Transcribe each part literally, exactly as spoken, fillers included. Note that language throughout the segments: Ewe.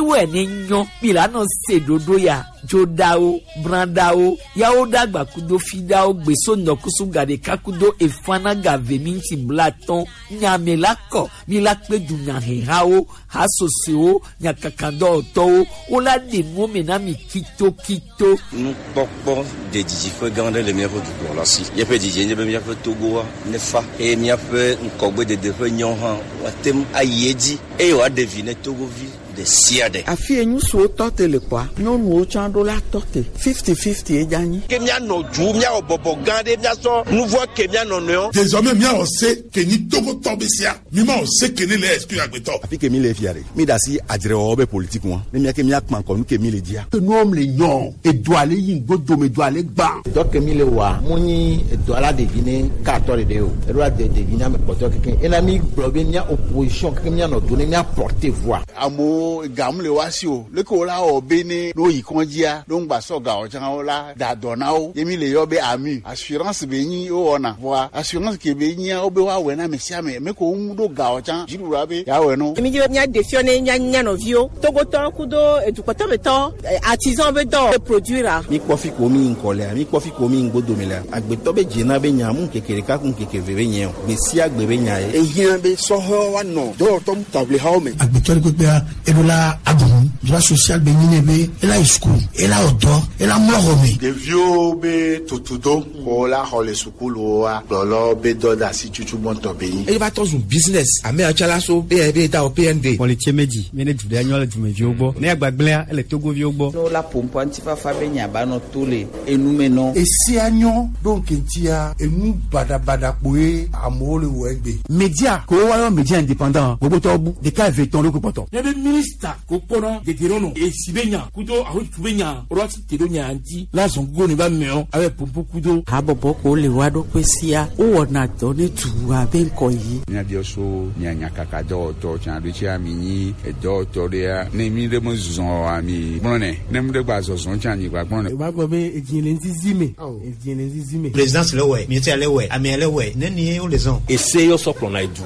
Miwɔe ne nyɔ mi la nɔ se ɖoɖo ya dzoɖawo brãɖawo yawo ɖagba kudo fiɖawo gbeso ŋdɔkusu ga ɖeka kudo efana ga ve minti blatɔn nyame la kɔ mi la kpe dunyahehawo hasosoewo nyakakadɔwɔtɔwo wola ɖe nuwo me na mi kitokito. Nukpɔkpɔ de didiƒe gã aɖe le míaƒe dukplɔla si. Míaƒe didie nye be míaƒe Togoa nefa eye míaƒe ŋkɔgbedede ƒe nyɔ hã woate ŋu ayi edzi eye wòaɖe vi ne Togovi ɖe sia ɖe. Afi ye ŋutsuwo tɔ te le kpɔa, nyɔnuwo tsã ɖo la tɔ te. Fifty fifty ye dza nyi. Ke míanɔ du míawɔ bɔbɔ gã ɖe míasɔ nu vɔ ke míanɔ nɔewo. Désormais míawɔ se ke nyi Togotɔ be sia mi ma wɔ se ke ne le exclure agbetɔ. Afi ke mi le fia ɖe mi da asi adzrewɔwɔ be politique ŋua ne miake miakpã kɔ nu ke mi le dzia. Nuwɔm le nyɔ edoa le yi ŋgbodome doa le gbã. Dɔ ke mi le wɔa mu nyi edoa la ɖevi ne katɔ ɖeɖe o eɖo la de ɖevi ne ame kpɔtɔ keke ena mi gblɔ be mía opposition keke míanɔ do ne mía porter voix. Amewo gamu le wa si o leke wo la wɔ be ne ne woyi kɔndzia ne ŋgba sɔ gawo tsã wo la da dɔ na wo ye mi le yɔ be ami assurance be nyi wowɔna vɔa assurance ke be nyia wo be woawɔe na ame sia ame ame ko ŋu ɖo gawo tsã dziɖuɖua be yeawɔe no. Mi dzi be míaɖe fiɔ ne mía mía nɔviwo Togotɔ kudo edukɔtɔmetɔ artisan be dɔ produire. Mi kpɔ fi ko mi ŋkɔ lea mi kpɔ fi ko mi ŋgbodome lea agbetɔ be dzena be nya mu ŋkeke ɖeka ku ŋkeke ve be nye o gbe sia gbe be nya ye. Ehiã be sɔhɛwo woanɔ dɔwɔtɔ taʋlihawo me. Agbetɔ ɖe kpekpea eɖo la aɖu droit social be nyi ne be ela yi sukulu ela wɔ dɔ ela mlɔ xɔ me. Ɖeviwo be tutudo ko la xɔ le sukuluwoa kplɔlɔ be dɔ de asi tutu gbɔntɔ be nyi. Eye va tɔ zu business ame atsala so be be da o P N D. Kpɔlitse medzi mi ne du ɖe nyɔ le dumeviwo gbɔ ne agbagblẽa ele Togoviwo gbɔ. Ne wola ƒoƒoa ŋutifafa be nya ba nɔ to le enume nɔ. Esia nyɔ ɖo ŋkeŋtia enu baɖabaɖa kpoe amewo le wɔ egbe. Média ko woayɔ média indépendant gbogbotɔwo bu ɖeka eve tɔn ɖo ko kpɔtɔ. Ne be minista ko kpɔnɔ dedienɔnɔ esi be nya kudo ahotu be nya woɖo asi te ɖo nya ŋuti la zɔn gogo ne ba mɛɔ abe pompo kudo. Habɔbɔ ko le wa ɖokui sia wowɔna dɔ ne dua be ŋkɔ yi. Míabiɔ so mia nyakaka dɔwɔtɔ tsã ɖo tsia mi nyi edɔwɔtɔ ɖea ne mi ɖe me zɔ oa mi gblɔnɛ ne mi ɖe gba zɔzɔ tsã mi gba gblɔnɛ. O b'a gbɔ be edzi le ŋzizi me edzi le ŋzizi me. Présidence le wɛ ministère le wɛ amea le wɛ ne ni wo le zɔn. Ese yɔ sɔ kplɔna edu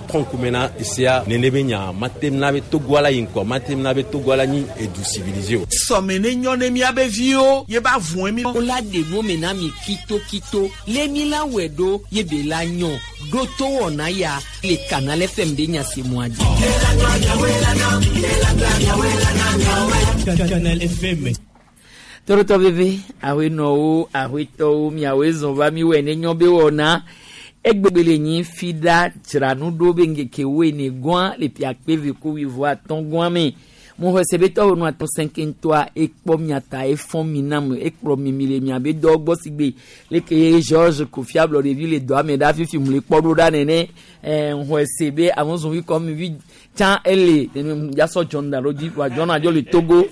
trɔnkume na esea nene be nya mate na be Togoa la yi ŋkɔ mate na be Togoa la nyi edu civilisé o. Sɔme ne nyɔ ne miabe viwo ye ba vɔn mi. Wola ɖe nuwo me na mi kitokito le mi la wɔe ɖo ye be la nyɔ ɖo to wɔna ya le Canal F M ɖe nyasemua dzi. Canal F M. Torotɔ veve aƒenɔwo aƒetɔwo miawoe zɔn va mi wɔ ne nyɔ be wɔna egbegbe le nyi fi ɖa dzra nu ɖo be ŋkeke woene gɔa le piakpe ve ko wuieve atɔ̃ gɔa me mo xɔ se be tɔwo nu atɔ sɛnkɛntɔa ekpɔ miata efɔn mi nam ekplɔ mi mi le miabe dɔ gbɔ si gbe leke George Kofi Ablɔɖevi le dɔa me ɖa fifi mu le kpɔ ɖo ɖa nene ɛɛ xɔ se be amɔzɔnvi kɔ mi vi tsã ele nene yasɔ John da ɖo dzi wa John adzo le Togo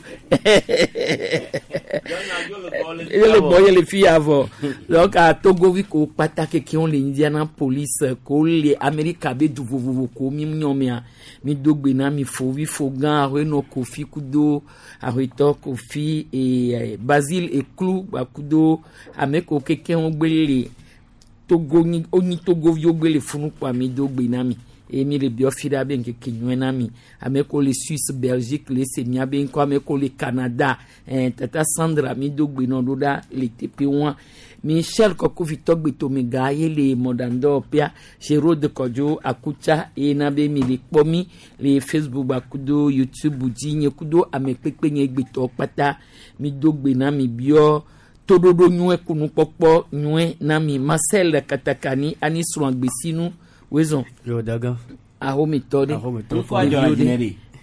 ele gbɔ ye le fi ya vɔ donc a Togovi ko kpata keke le Indianapolis ko le Amerika be du vovovo ko mi nyɔ mea mi do gbe na mi fo vi fo gã aƒenɔ Kofi kudo aƒetɔ Kofi e Basile Eklu gbakudo ame ko keke wo gbe le Togo nyi onyi Togoviwo gbe le funu kpoa mi do gbe na mi eye mi le biɔ fi ɖa be ŋkeke nyuie na mi ame ko le Suisse, Belgique le se mia be ŋkɔ ame ko le Canada eh, tata Sandra mi do gbe nɔ ɖo ɖa le teƒe wa Michel Kɔkuvi tɔgbetome gã ye le mɔɖaŋdɔwɔƒea Gérode Kɔdzo Akutsa eye na be mi le kpɔ mi le Facebook gbakudo YouTube dzi nye kudo ame kpekpe nye gbetɔ kpata mi do gbe na mi biɔ toɖoɖo nyuie kunukpɔkpɔ nyuie na mi Marcel Katakani ani srɔ̃ agbesinu wezɔn. Yo dagan. Ahomitɔ ɖe. Ahomitɔ.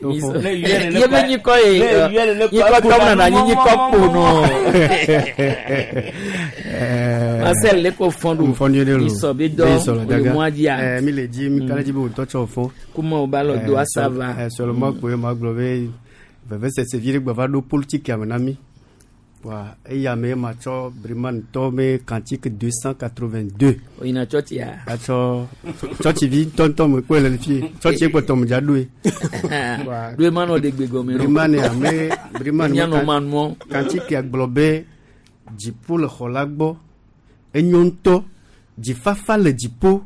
Ɖeviwo ɖe. Ye be nyikɔ ye nyikɔ tɔ nana anyi nyikɔ kpo nɔ. Marcel le ko fɔn do. Fɔn ɖe lo. Isɔ be dɔ o le mɔa dzia. Ɛɛ mi le dzi mi ka ɖe dzi be wòtɔ tsɔ fɔn. Kuma o ba lɔ do asava. Ɛɛ seulement kpoe ma gblɔ be vevesese vi ɖe gba va ɖo politique me na mi. Wa eya me ma tsɔ Briman tɔ be cantique deux cent quatre-vingt-deux. O yina tsɔtsia. Atsɔ tsɔtsivi ŋutɔŋutɔ me kpɔe le fi tsɔtsi kpɔtɔ me dza ɖoe. Ɖoe ma nɔ ɖe gbe gɔme. Briman ame Briman Mianɔ ma nuɔ. Cantique gblɔ be dziƒo le xɔ la gbɔ enyo ŋutɔ dzifafa le dziƒo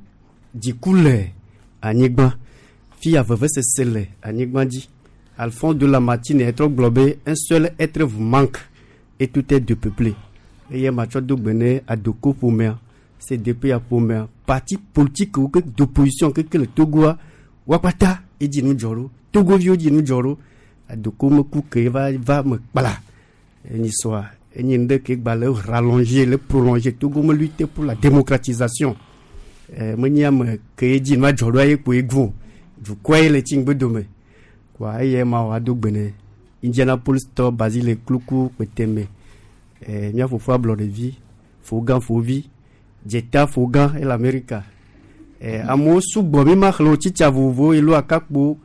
dziku le anyigba fia vevesese le anyigba dzi. Alphonse de Lamartine etrɔ gblɔ be un seul être vous manque et tout est dépeuplé. Eye matsɔ do gbe ne Adoko ƒomea, C D P ya ƒomea, parti politique wo ke d'opposition keke le Togoa, woakpata edzi nu dzɔ ɖo. Togoviwo dzi nu dzɔ ɖo. Adoko meku ke va va me kpla. Enyi sɔa enye nu ɖe ke gba le rallonger, le prolonger Togo me lutte pour la démocratisation. Eh, menye ame ke dzi nua dzɔ ɖoa ye kpoe gvo. Dukɔa ye le tsi ŋgbe dome. Kɔa eye ma wɔ ado gbe ne Indianapolis tɔ Basile Kluku Kpeteme. Eh, mía fofo ablɔɖevi, fogã fovi, dzeta fogã ele Amerika. Eh, amewo sugbɔ mi ma xlẽ wo tsitsa vovovowo elo akakpo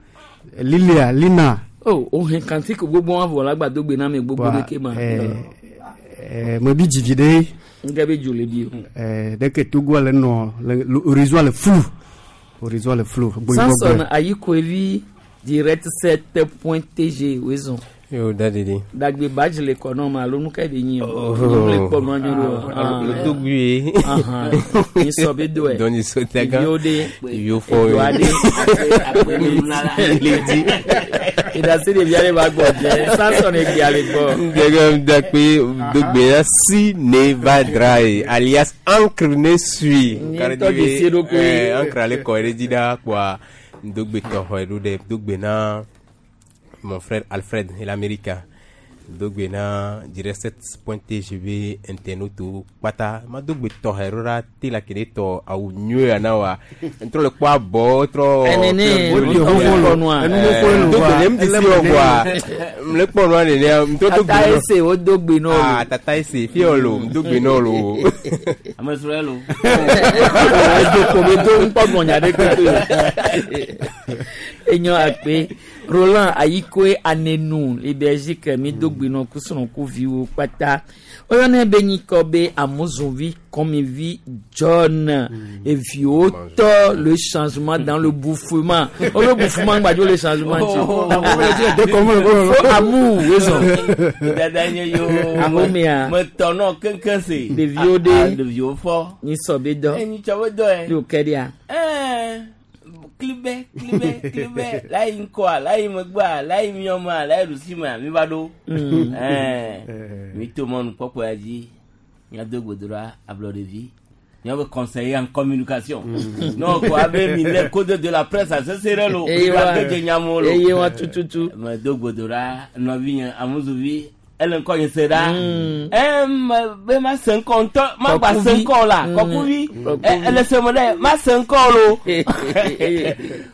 Lilia Lina. Oh, o hɛn cantique gbogbo wa vɔ la gba do gbe na ame gbogbo Wa, ɖe ke ma. eh, eh, mebi dzivi ɖe. Ŋgɛ be dzo le bi o. Eh, dès que Togo le nɔ le le horizon le flou, horizon le flou. Samson Ayikoevi direct sept point T G wezɔn. Yo dadidi. Dagbe badge le kɔ nɔ ma alo nu ka be nyi o? Oh. Le kpɔ nɔ anyi ɖo. Le dogui. Ni sɔ be do ɛ. Donc ni so taga. Yo de. Yo fo. Edo ade. Le di. Ìdásí ɖevi aɖe va gbɔ jɛ Samson egbe ale gbɔ. Dagbe dagbe dogbe la si ne va dry alias encre ne suit. Nye tɔ dzesi ɖokui. Eh, encre ale kɔ ɖe dzi ɖa kpoa dogbe tɔxɔ ɖo ɖe dogbe na mon frère Alfred l'América. Dogbe na direct sept point T G B internaute kpata ma dogbe tɔxɛ ɖo ɖa te la ke ne tɔ awu nyuie ya na wa ŋtrɔ le kpɔ abɔ trɔ. Enene, wo nua. Dogbe ne mu ti si wɔ kɔa le kpɔ nua nenea ŋtrɔ dogbe Tata nɔ. ese wo do gbe nɔ. Ah, tata ese fi yɔ lo dogbe nɔ lo. Ame srɔ̃ lo. Edo ko be do ŋkpɔ gbɔnya ɖe kpekpe. Enyɔ akpe Roland Ayikoe Anenu le Belgique mi do gbe nɔ kusrɔ̃ ku viwo kpata. Oyɔnɛ be nyikɔ be Amuzunvi Kɔmivi John eviwo tɔ le changement dans le bouffement. O le bouffement gbadzo le changement ti. Fo amour wezɔn. Dada nye yo. Ahomea. Metɔ nɔ keŋkeŋ se. Ɖeviwo ɖe. Ah, ɖeviwo fɔ. Nyi sɔ be dɔ. Enyi tsɔ be dɔ yɛ. Ɖo kɛ ɖia. Ɛɛ klibɛ klibɛ klibɛ layi ŋkɔa layi megbea layi miɔmea layi ɖusimea mi va ɖo. Mm. Ɛɛ mi to mɔnu kpɔkpɔ ya dzi miado gbedoɖa ablɔɖevi miabe conseiller en communication non ko abe mi le code de la presse asese ɖe lo. Eye wa- mi dze nyamewo lo. Eye wa tututu. Me do gbedoɖa nɔvinye amuzuvi ele ŋkɔ nye se ɖa ɛ me be ma se ŋkɔ ŋutɔ ma gba se Kɔkuvi. ŋkɔ la Mm. kɔkuvi Kɔkuvi. ɛ ele se me ɖe ma se ŋkɔ lo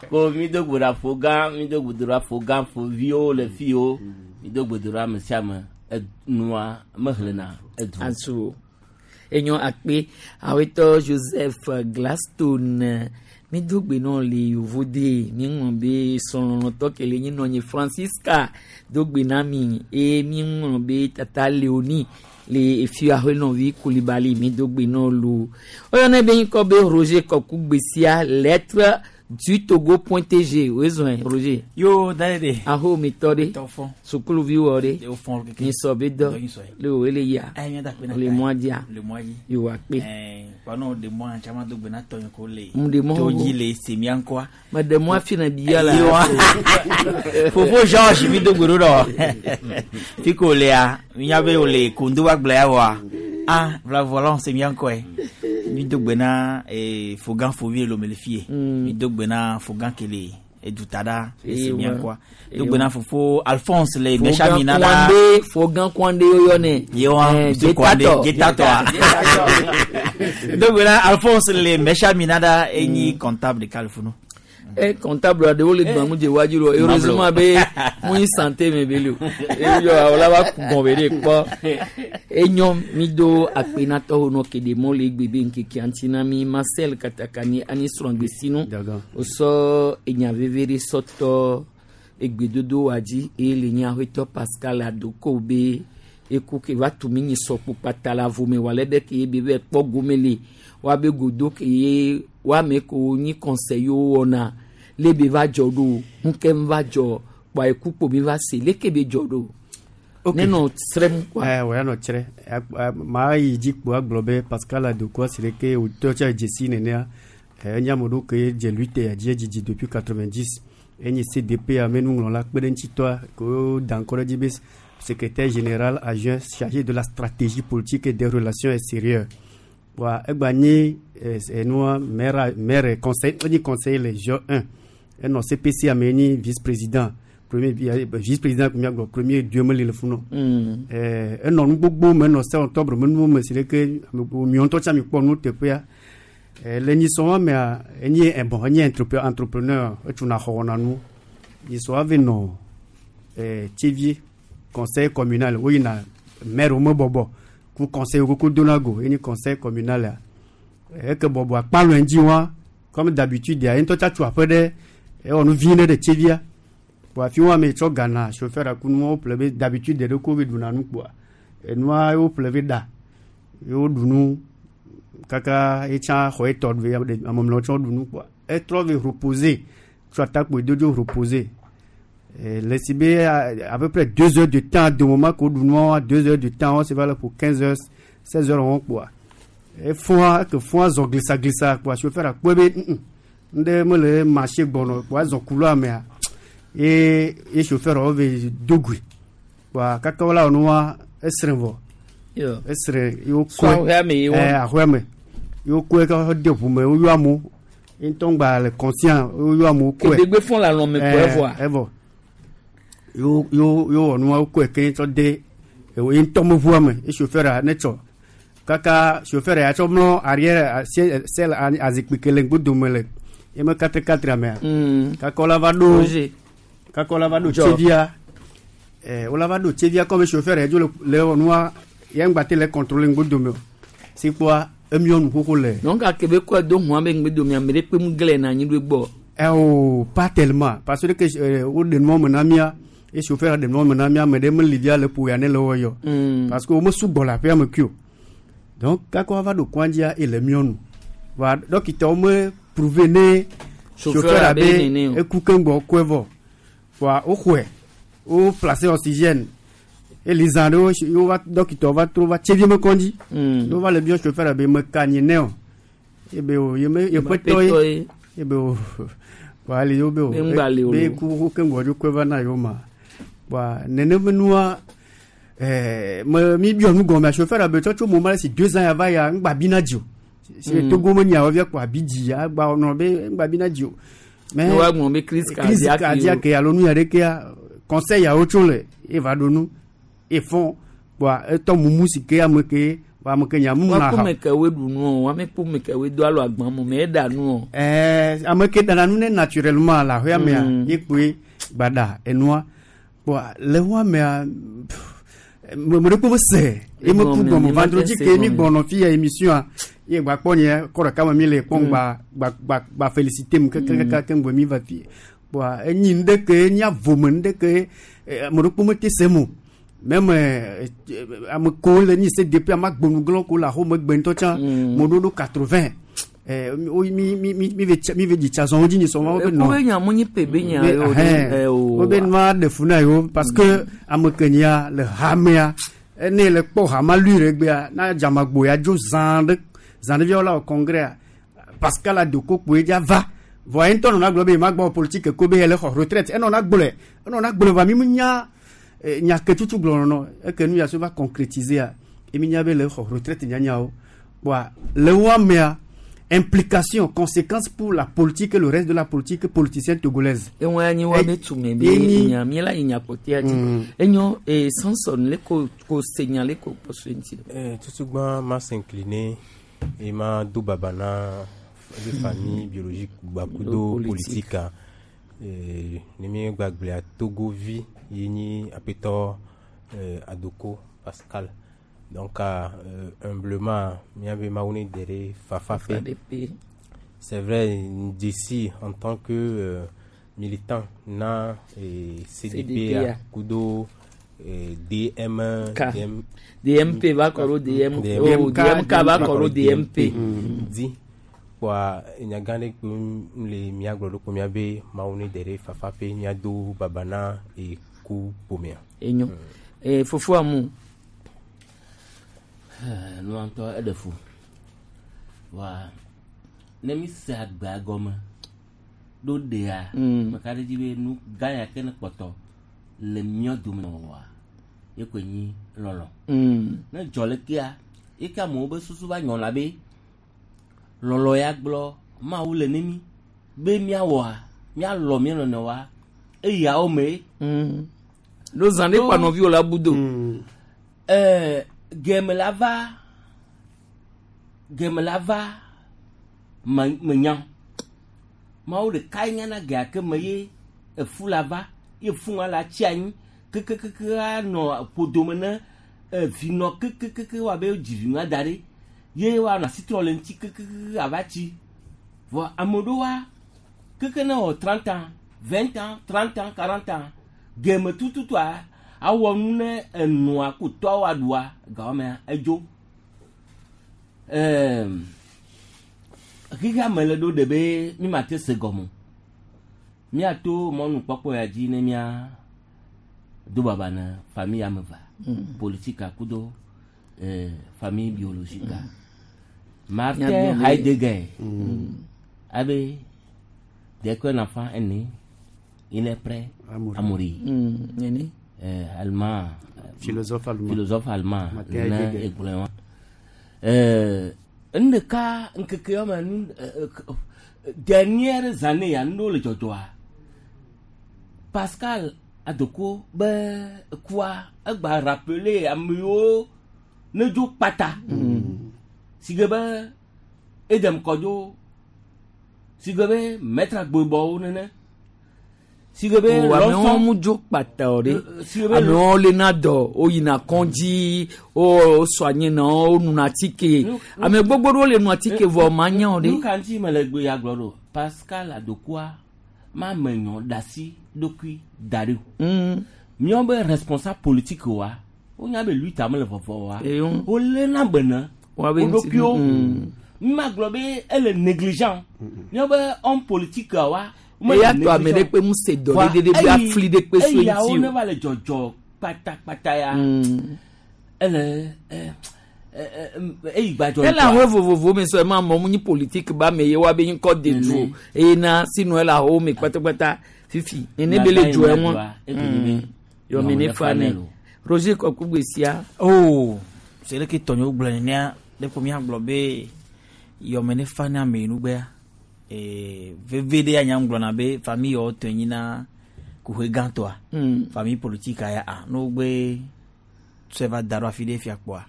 ko mi do gbedoɖa fo gã mi do gbedoɖa fo gã fo viwo le fiwo mi do gbedoɖa ame sia ame enua mehlena edu. Asu enyɔ akpe awetɔ Joseph Glaston mi do gbe nɔ le yovode mi ŋlɔ be sɔlɔlɔtɔ kele nyi nɔ nye Francisca do gbe na mi eye mi ŋlɔ be tata Leonie le efi ahenɔvi Kulibali mi do gbe nɔ lo oyɔnɛ be ŋkɔ be Roger Kɔku gbesia lettre du Togo point T G wezɔn Roger. Yo dade. Aho mi tɔ de Tɔ fɔ. sukuluvi wɔ de O fɔn keke. mi sɔ be dɔ Dɔ nyi sɔ ye. le o ele ya Ayi mi da kpe na le ta. mɔa dzia Le mɔa dzi. yewo akpe. Ɛɛ kpanu de mɔ caman do gbe na tɔ yin ko le. Mun de mɔ To wo? dzi le semia ŋkɔa. Mɛ de mɔ afi na bia la. Yewa. Fofo George mi do gbe ɖo ɖɔ. Fi ko lea minya be o le kondo wa gblɔ ya wɔa. Ah vla volant semia ŋkɔe. Mi do gbe na eh, fogan fovi le lome le fie. Mi do gbe na fogan kele eduta ɖa le semia ŋkɔa. Do gbe na fofo Alphonse le Mɛsamina ɖa. Kwande Fogan Kwande yɔyɔ nɛ. Yewa Eh, Monsieur Kwande Jetatɔ. Jetatɔa. Do gbe na Alphonse le Mɛsamina ɖa enyi comptable ɖeka le funu. E comptable aɖewo le gbãmu dze wadzi lo heureusement be mu nyi santé me be le o eyɔ awla va ku gɔn be ɖe kpɔ enyɔ mi do akpenatɔwo nɔ ke ɖe mɔ le egbe be ŋkekea ŋuti na mi Marcel Katakani ani srɔ̃gbesinu wosɔ enya veve ɖe sɔtɔ egbedodo wa dzi eye le nye aƒetɔ Pascal Adoko be eku ke va tu mi nyi sɔkpo kpata le avome wòale be ke ye be be kpɔ gome le woabe godo ke ye woame ko nyi conseil yiwo wɔna le be va dzɔ ɖo ŋke va dzɔ kpɔa eku kpo mi va se leke be dzɔ ɖo ne nɔ srɛm kɔa. Eh, ouais, nɔ tsrɛ maa yi dzi kpo agblɔ be Pascal Adoko si ɖe ke wòtɔ tsa dzesi nenea eh, enye ame ɖewo ke dze lutte ya dzi edzidzi depuis quatre-vingt-dix. Enye C D P ame nuŋlɔla kpe ɖe ŋutitɔa ke wo da ŋkɔ ɖe dzi be secrétaire général adjoint chargé de la stratégie politique et des relations extérieures. Wa egba nye enua maire, maire conseil, enye conseiller le G un, enɔ C P C ame nye vice président, premier vice président miagblɔ premier dieu meli le funu. Mm. Ɛɛ enɔ nu gbogbo me enɔ sept octobre me nuwo me si ɖe ke miɔ ŋutɔ tsa mi kpɔ nu teƒea. Ɛɛ le nyisɔ mea, enye eh, bon, enye entrepreneur entrepreneur etsuna xɔ wɔna nu. Nyisɔ ave nɔ ɛɛ Tsévié conseil communal, woyina maire wo me bɔbɔ ku conseil koko dona go, enye conseil communal ya eke bɔbɔ akpalɔ ŋdzi wa. Comme d'habitude ya, ye ŋutɔ tsa tso aƒe ɖe ewɔ nu vi ɖe ɖe Tsévia kpoa, afi wa me tsɔ gana chauffeur aku nuwo ƒle be d'habitude ɖe ko be ɖuna nu kpoa, enua wo ƒle be ɖa ye woɖu nu kaka etsã xɔ etɔ ɖu ame mlɔewo tsɔ ɖu nu kpoa, etrɔ ve reposer tso atakpo dodzo reposer. Le si be à peu près deux heures de temps de moment ko ɖu nua, deux heures de temps, c'est valable pour quinze heures, seize heures wɔn kpoa, efɔa eke fɔa zɔ glisa glisa kpoa, chauffeur akpɔe be ŋɖe mele marché gbɔnɔ kpoa, ezɔ couloir mea ye ye chauffeur wo ve dogui kpoa, kaka wola wɔ nua, esrẽ vɔ esrẽ ye wokɔe ɛɛ aƒea me ye wokɔe kɔ de ʋu me, woyɔ amewo ye ŋutɔ ŋgba le conscient, woyɔ amewo kɔe. Kedegbe fɔn le alɔme kɔe vɔa. Evɔ yo yo yo wɔ nua, wokɔe keŋ tsɔ de ye ŋutɔ me ʋua me ye chauffeur ne tsɔ kaka chauffeur ya tsɔ mlɔ arrière selle azikpui ke le ŋgbodome le ye me quatre quatre mea. Kaka wola va ɖo kaka wola va ɖo Tsévia, ɛɛ wola va ɖo Tsévia comme chauffeur ya dzo le le wɔ nua ye ŋgba te le contrôler ŋgbodome o si kpoa, emiɔ nu xoxo le. Donc ake be kɔe do hɔn be ŋgbodome, ame ɖe kpe mu glɛ na anyi ɖo egbɔ. Ɛ o, pas tellement, parce que euh, wo ɖe nua me na mía ye chauffeur ɖe nua me na mía, ame ɖe meli via le ƒo ya ne le wɔ yɔ. Parce que wo me sugbɔ le aƒea me kui o. Donc kaka woava ɖo kɔadzia ye le miɔ nu va, dɔkitawo me prouver ne chauffeur abe eku keŋgbɔ kɔe vɔ voa, woxɔe, wo placer oxygène eli zã ɖewo ye wova dɔkitawo va trɔ va Tsévié me kɔndzi ne wova le biɔ chauffeur abe meka nyi ne o ebe o ye me yeƒe tɔ ye ebe o voa ali yewo be o be ku keŋgbɔ dzo kɔe va na yewo ma voa. Neneme nua ɛɛ me mi biɔ nu gɔmea, chauffeur abe tsɔtso mo ma le si deux ans ya va ya ŋgba bi na dzi o si mm. Togo me nyawo via kpɔ abi dzi agba nɔ be ŋgba bi na dzi o. Mais wa gblɔ be crise crise cardiaque alo nu ya ɖekea conseil yawo tso le eva ɖo nu efɔn kpoa etɔ mumu si ke ame ke wa ame ke nya mumu na ha. Wa kpɔ me ɖu nu o, wa me kpɔ me ke do alo agban mo me eɖa nu o. Ɛɛ, ame ke ɖana nu ne naturellement le aƒea mea ye kpoe gba enua kpoa le wa mea me ɖe kpɔ me se ye me ku gɔme. Vendredi ke mi gbɔnɔ fi ya émission a ye gba kpɔ nye kɔ ɖeka me mi le kpɔm gba gba gba gba félicité mu keke ke ŋgɔ mi va fi kpoa, enyi nu ɖe ke enyi avome nu ɖe ke ame ɖe kpɔ me te se mo même ame ko le nyi C D P ame agbonugblɔ ko le axome gbe ŋutɔ tsã mo ɖo ɖo quatre-vingts mi mi mi mi ve mi ve dzi tsa zɔn dzi nyi sɔn wo be nɔ. Eko be nya mo nyi pe be nya yo. Wo be nua ɖe fu na yewo parce que ame ke nyia le hamea ene le kpɔ hama lui ɖe gbea na dzamagbo ya dzo zã ɖe zã ɖe viawo la wɔ congrès Pascal Adoko kpoe dza va vɔ ye ŋutɔ nɔna gblɔ be ma gbɔ politique ko be ele xɔ retraite, enɔna gblɔe enɔna gblɔe va mi mu nya nya ke tutu gblɔ nɔnɔ eke nu ya so va concrétiser a emi nya be le xɔ retraite nyanyawo kpoa le wo amea implication, conséquences pour la politique et le reste de la politique politicienne togolaise. Ewọn anyi wa be tume be nya mi la nya kote ati enyo e Samson le ko ko senya le ko poso nti. Eh tutugba ma s'incliner et ma do baba na de famille biologique gbakudo politique eh ne mi gbagble a Togo vi yini apetɔ euh, Adoko Pascal. Donc euh, humblement mi Mawu ne dere fafa fe. C'est vrai, d'ici en tant que euh, militant na et C D P a kudo eh, D M K. D M, D M P va kɔrɔ D M oh, D M K va kɔrɔ D M P. Di kpoa nyagã ɖe kpe le mía gblɔ ɖo kpo mía be Mawu ne dere fafa pe míado baba na eku ƒomea. Enyo eh fofo amu. Nua ŋutɔ eɖe fu wa ne mi se agbea gɔme. Ɖo ɖea Mm. meka ɖe dzi be nu gã ya ke ne kpɔtɔ le míɔ dome wɔa ye koe nyi lɔlɔ. Mm. Ne dzɔ le kea ye ke amewo be susu va nyɔ la be lɔlɔ ya gblɔ mawu le ne mi be míawɔa míalɔ mía nɔnɔewoa eyawo me. Mm. Ɖo zã ɖe kpa nɔviwo la bu do. Ɛɛ geme la va geme la va me menya mawu ɖeka nyana gea ke me ye efu la va ye fu ŋa la tsi anyi kekekeke anɔ ƒodome ne evinɔ kekekeke wa be dzi vi ŋa da ɖi ye wa nɔ asi trɔ le ŋuti kekekeke ava tsi vɔ ame ɖewoa keke ne wɔ trente ans vingt ans trente ans quarante ans geme tututua awɔ nu ne enɔa ko tɔa wa ɖua gawɔmea edzo ɛɛm xexea me le ɖo ɖe be mi ma te se gɔme o. Míato mɔnukpɔkpɔ ya dzi ne mía do baba na famille ame eve Mm. politique kudo eh, famille biologique Martin Míagblɔ be- Heidegger Mm. abe dès qu'un enfant est né il est prêt à mourir Mm. Nene. eh, allemand Philosophe allemand. philosophe allemand Martin nene Heidegger. egblɔe wa eh, nu ɖeka ŋkeke wɔme nu eh, eh, dernière année ya nu ɖewo le dzɔdzɔa Pascal Adoko be kua egba rappeler amewo ne dzo kpata si ge be Edem Kɔdzo si ge be Maître Agbebɔwo nene si ge be O amewo Lɔsɔn mu dzo kpata o ɖe. si ge be Amewo lena dɔ, woyina kɔndzi, wo sɔ anyi na wo nuna atike. Ame gbogbo ɖewo le nu atike vɔ ma nya o nu ɖe. ka ŋuti mele gbe ya gblɔ ɖo Pascal Adokoa ma me nyɔ ɖasi ɖokui da ɖi o Mm. míawo be responsable politique wa wonya be lui ta mele vɔvɔ wa Eyɔ. woléna be ne Woabe wo ŋuti- ɖokuiwo Mm. mi ma gblɔ be ele négligent míawo be homme politique wa womele Eya tɔ ame ɖe négligent. kpe mu se dɔ Voa ɖe ɖe ɖe be eyi- afli ɖe kpe so eyawo ŋuti ne o. va le dzɔdzɔ kpatakpata ya Mm. ele ɛ ɛ ɛ eyi gbadzɔ Ele aho vovovo me sɔ ema mɔ mu nyi politique ba me ye wa be ŋkɔ de du o. Eye na sinu ele aho me kpatakpata fifi. Nene be le dzo ɛwọn. Yɔmi ne fa ne. Roger Kɔkugbe sia. Oh, c'est le que tɔnyewo gblɔ nenea ɖe ko míagblɔ be yɔme ne fa ne ame nugbea ee veve ɖe anya gblɔna be famille yawo tɔ nyi na kuxe gãtɔa Mm. famille politique ya a ne wogbe tsɔe va da ɖo afi ɖe fia kpɔa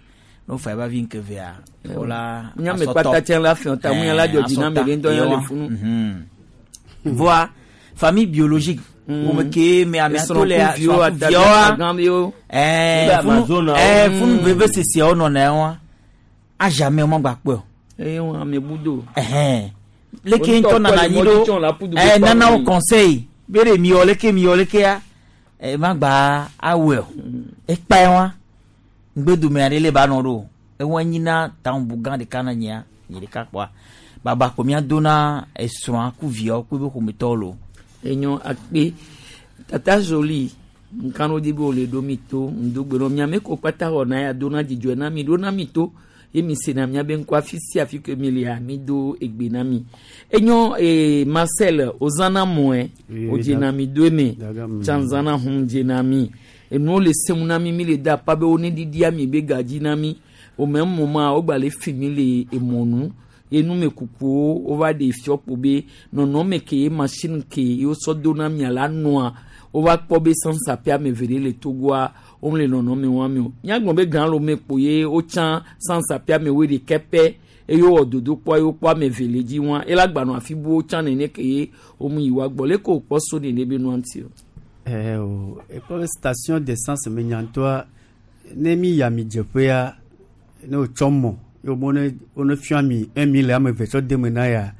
ne wofa eba vi ŋkevea wola Míame kpata tsɛ la fiɔ ta, mu ya la dzɔ dzi na ame ɖe ŋutɔ ya le funu. voa famille biologique Mm. wome ke me amea to le Esrɔ̃kuviwo, srɔ̃kuviawoa atagãviwo. ɛɛ Be funu Amazonawo. ɛɛ funu Mm. veve sesiawo nɔna ya wa a jamais wo magba kpɔe o. Eye wɔn ame budo. Ɛhɛn. Leke Wo ŋutɔ ŋutɔ nana kpɔ le anyi mɔdzi ɖo tsɔn le aƒu du ɛɛ be nana wo kpɔ conseil be ɖe miwɔ leke miwɔ lekea ɛ magba awɔe o. Ekpa ye wa ŋgbedome aɖe le ba nɔ ɖo ewa nyina taŋbu gã ɖeka na nyia nyi ɖeka kpɔa baba ko mía dona esrɔ̃a ku viawo ku ebe ƒometɔwo lo. Enyo akpe tata Jolie nkanu di be wòle ɖo mi to ŋdogbe nɔ miame ko kpata xɔ na ya dona dzidzɔe na mi ɖo na mi to ye mi sena miabe ŋkɔ afi sia afi ke mi lia mi do egbe na mi enyo ee Marcel ozana mɔe Oui, o dzena mi do eme Daga, mm. tsa zana hum dzena mi enuwo le sẽŋu na mi mi le da pa be wo ne ɖiɖia mi be gadzi na mi o mɛ mɔ ma wo gba le fi mi le emɔnu ye numekukuwo wova ɖe fiɔ kpo be nɔnɔme ke ye machine ke ye wosɔ do na mia la nɔa wova kpɔ be sansape ame eve ɖe le togoa wome le nɔnɔme wa me o míagblɔ be gã lome kpo ye wotsã sansape ame woe ɖekɛ pɛ eye wowɔ dodokpɔ ye wokpɔ ame eve le dzi wa ela gbanɔ afi buwo tsã nene ke ye womu yi wa gbɔ leke wòkpɔ so nene be nua ŋuti o. Eh, o ekpɔ be station d'essence me nyantɔa ne mi yi amidzeƒea ne wotsɔ mɔ ye wo ne wo ne fiɔ ami un mille ame eve tsɔ de me na ya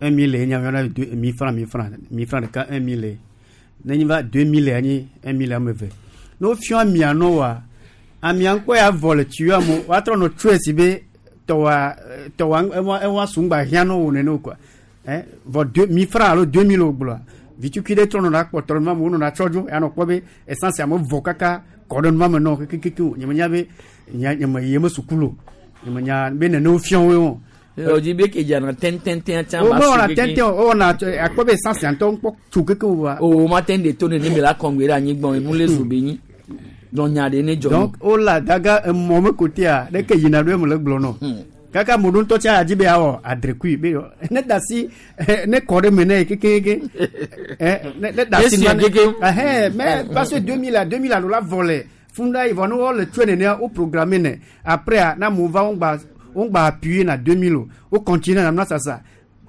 un mille ye nye ame deux mille francs mille francs mille francs ɖeka un mille ne nyi va deux mille anyi un mille ame eve ne wo fiɔ amia nɔ wa amia ŋkɔ ya vɔ le tuyau me woatrɔ nɔ tsɔe si be tɔwa tɔwa ewa ewa sungba hiã nɔ wo nene o quoi hein vɔ deux mille francs alo deux mille o gblɔa vitukui ɖe trɔ nɔna kpɔtɔ ɖe nua me wonɔna tsɔ dzo ya nɔ kpɔ be essence ame vɔ kaka kɔ ɖe nua me nɔ kekeke o nye menya be nye nye me yi me sukulu o nye menya be nene wo fiɔ woe o Ɔdzi be ke dzana tɛntɛntɛn tsã o mewɔna tɛntɛn o wɔna akpɔ be essence ŋutɔ ŋkpɔ tso keke o wa. O ma tɛn de to nene me la kɔngbe ɖe anyigba enu le zo be nyi donc nya ɖe ne dzɔ. Donc o la daga emɔ me kotea ɖe ke yina ɖo eme le gblɔ nɔ. Kaka mo ɖo ŋutɔ tsa adzi be awɔ adrekui be yɔ ne da si ne kɔ ɖe me ne kekeke ne ne da si na keke. Ɛhɛn mais parce que deux mille à deux mille alo la vɔ le funda yi vɔ ne wɔ le tsoe nenea wo programme ne après na mo va wo gba wo gba appuyer na deux mille o wo continue na nua sasa.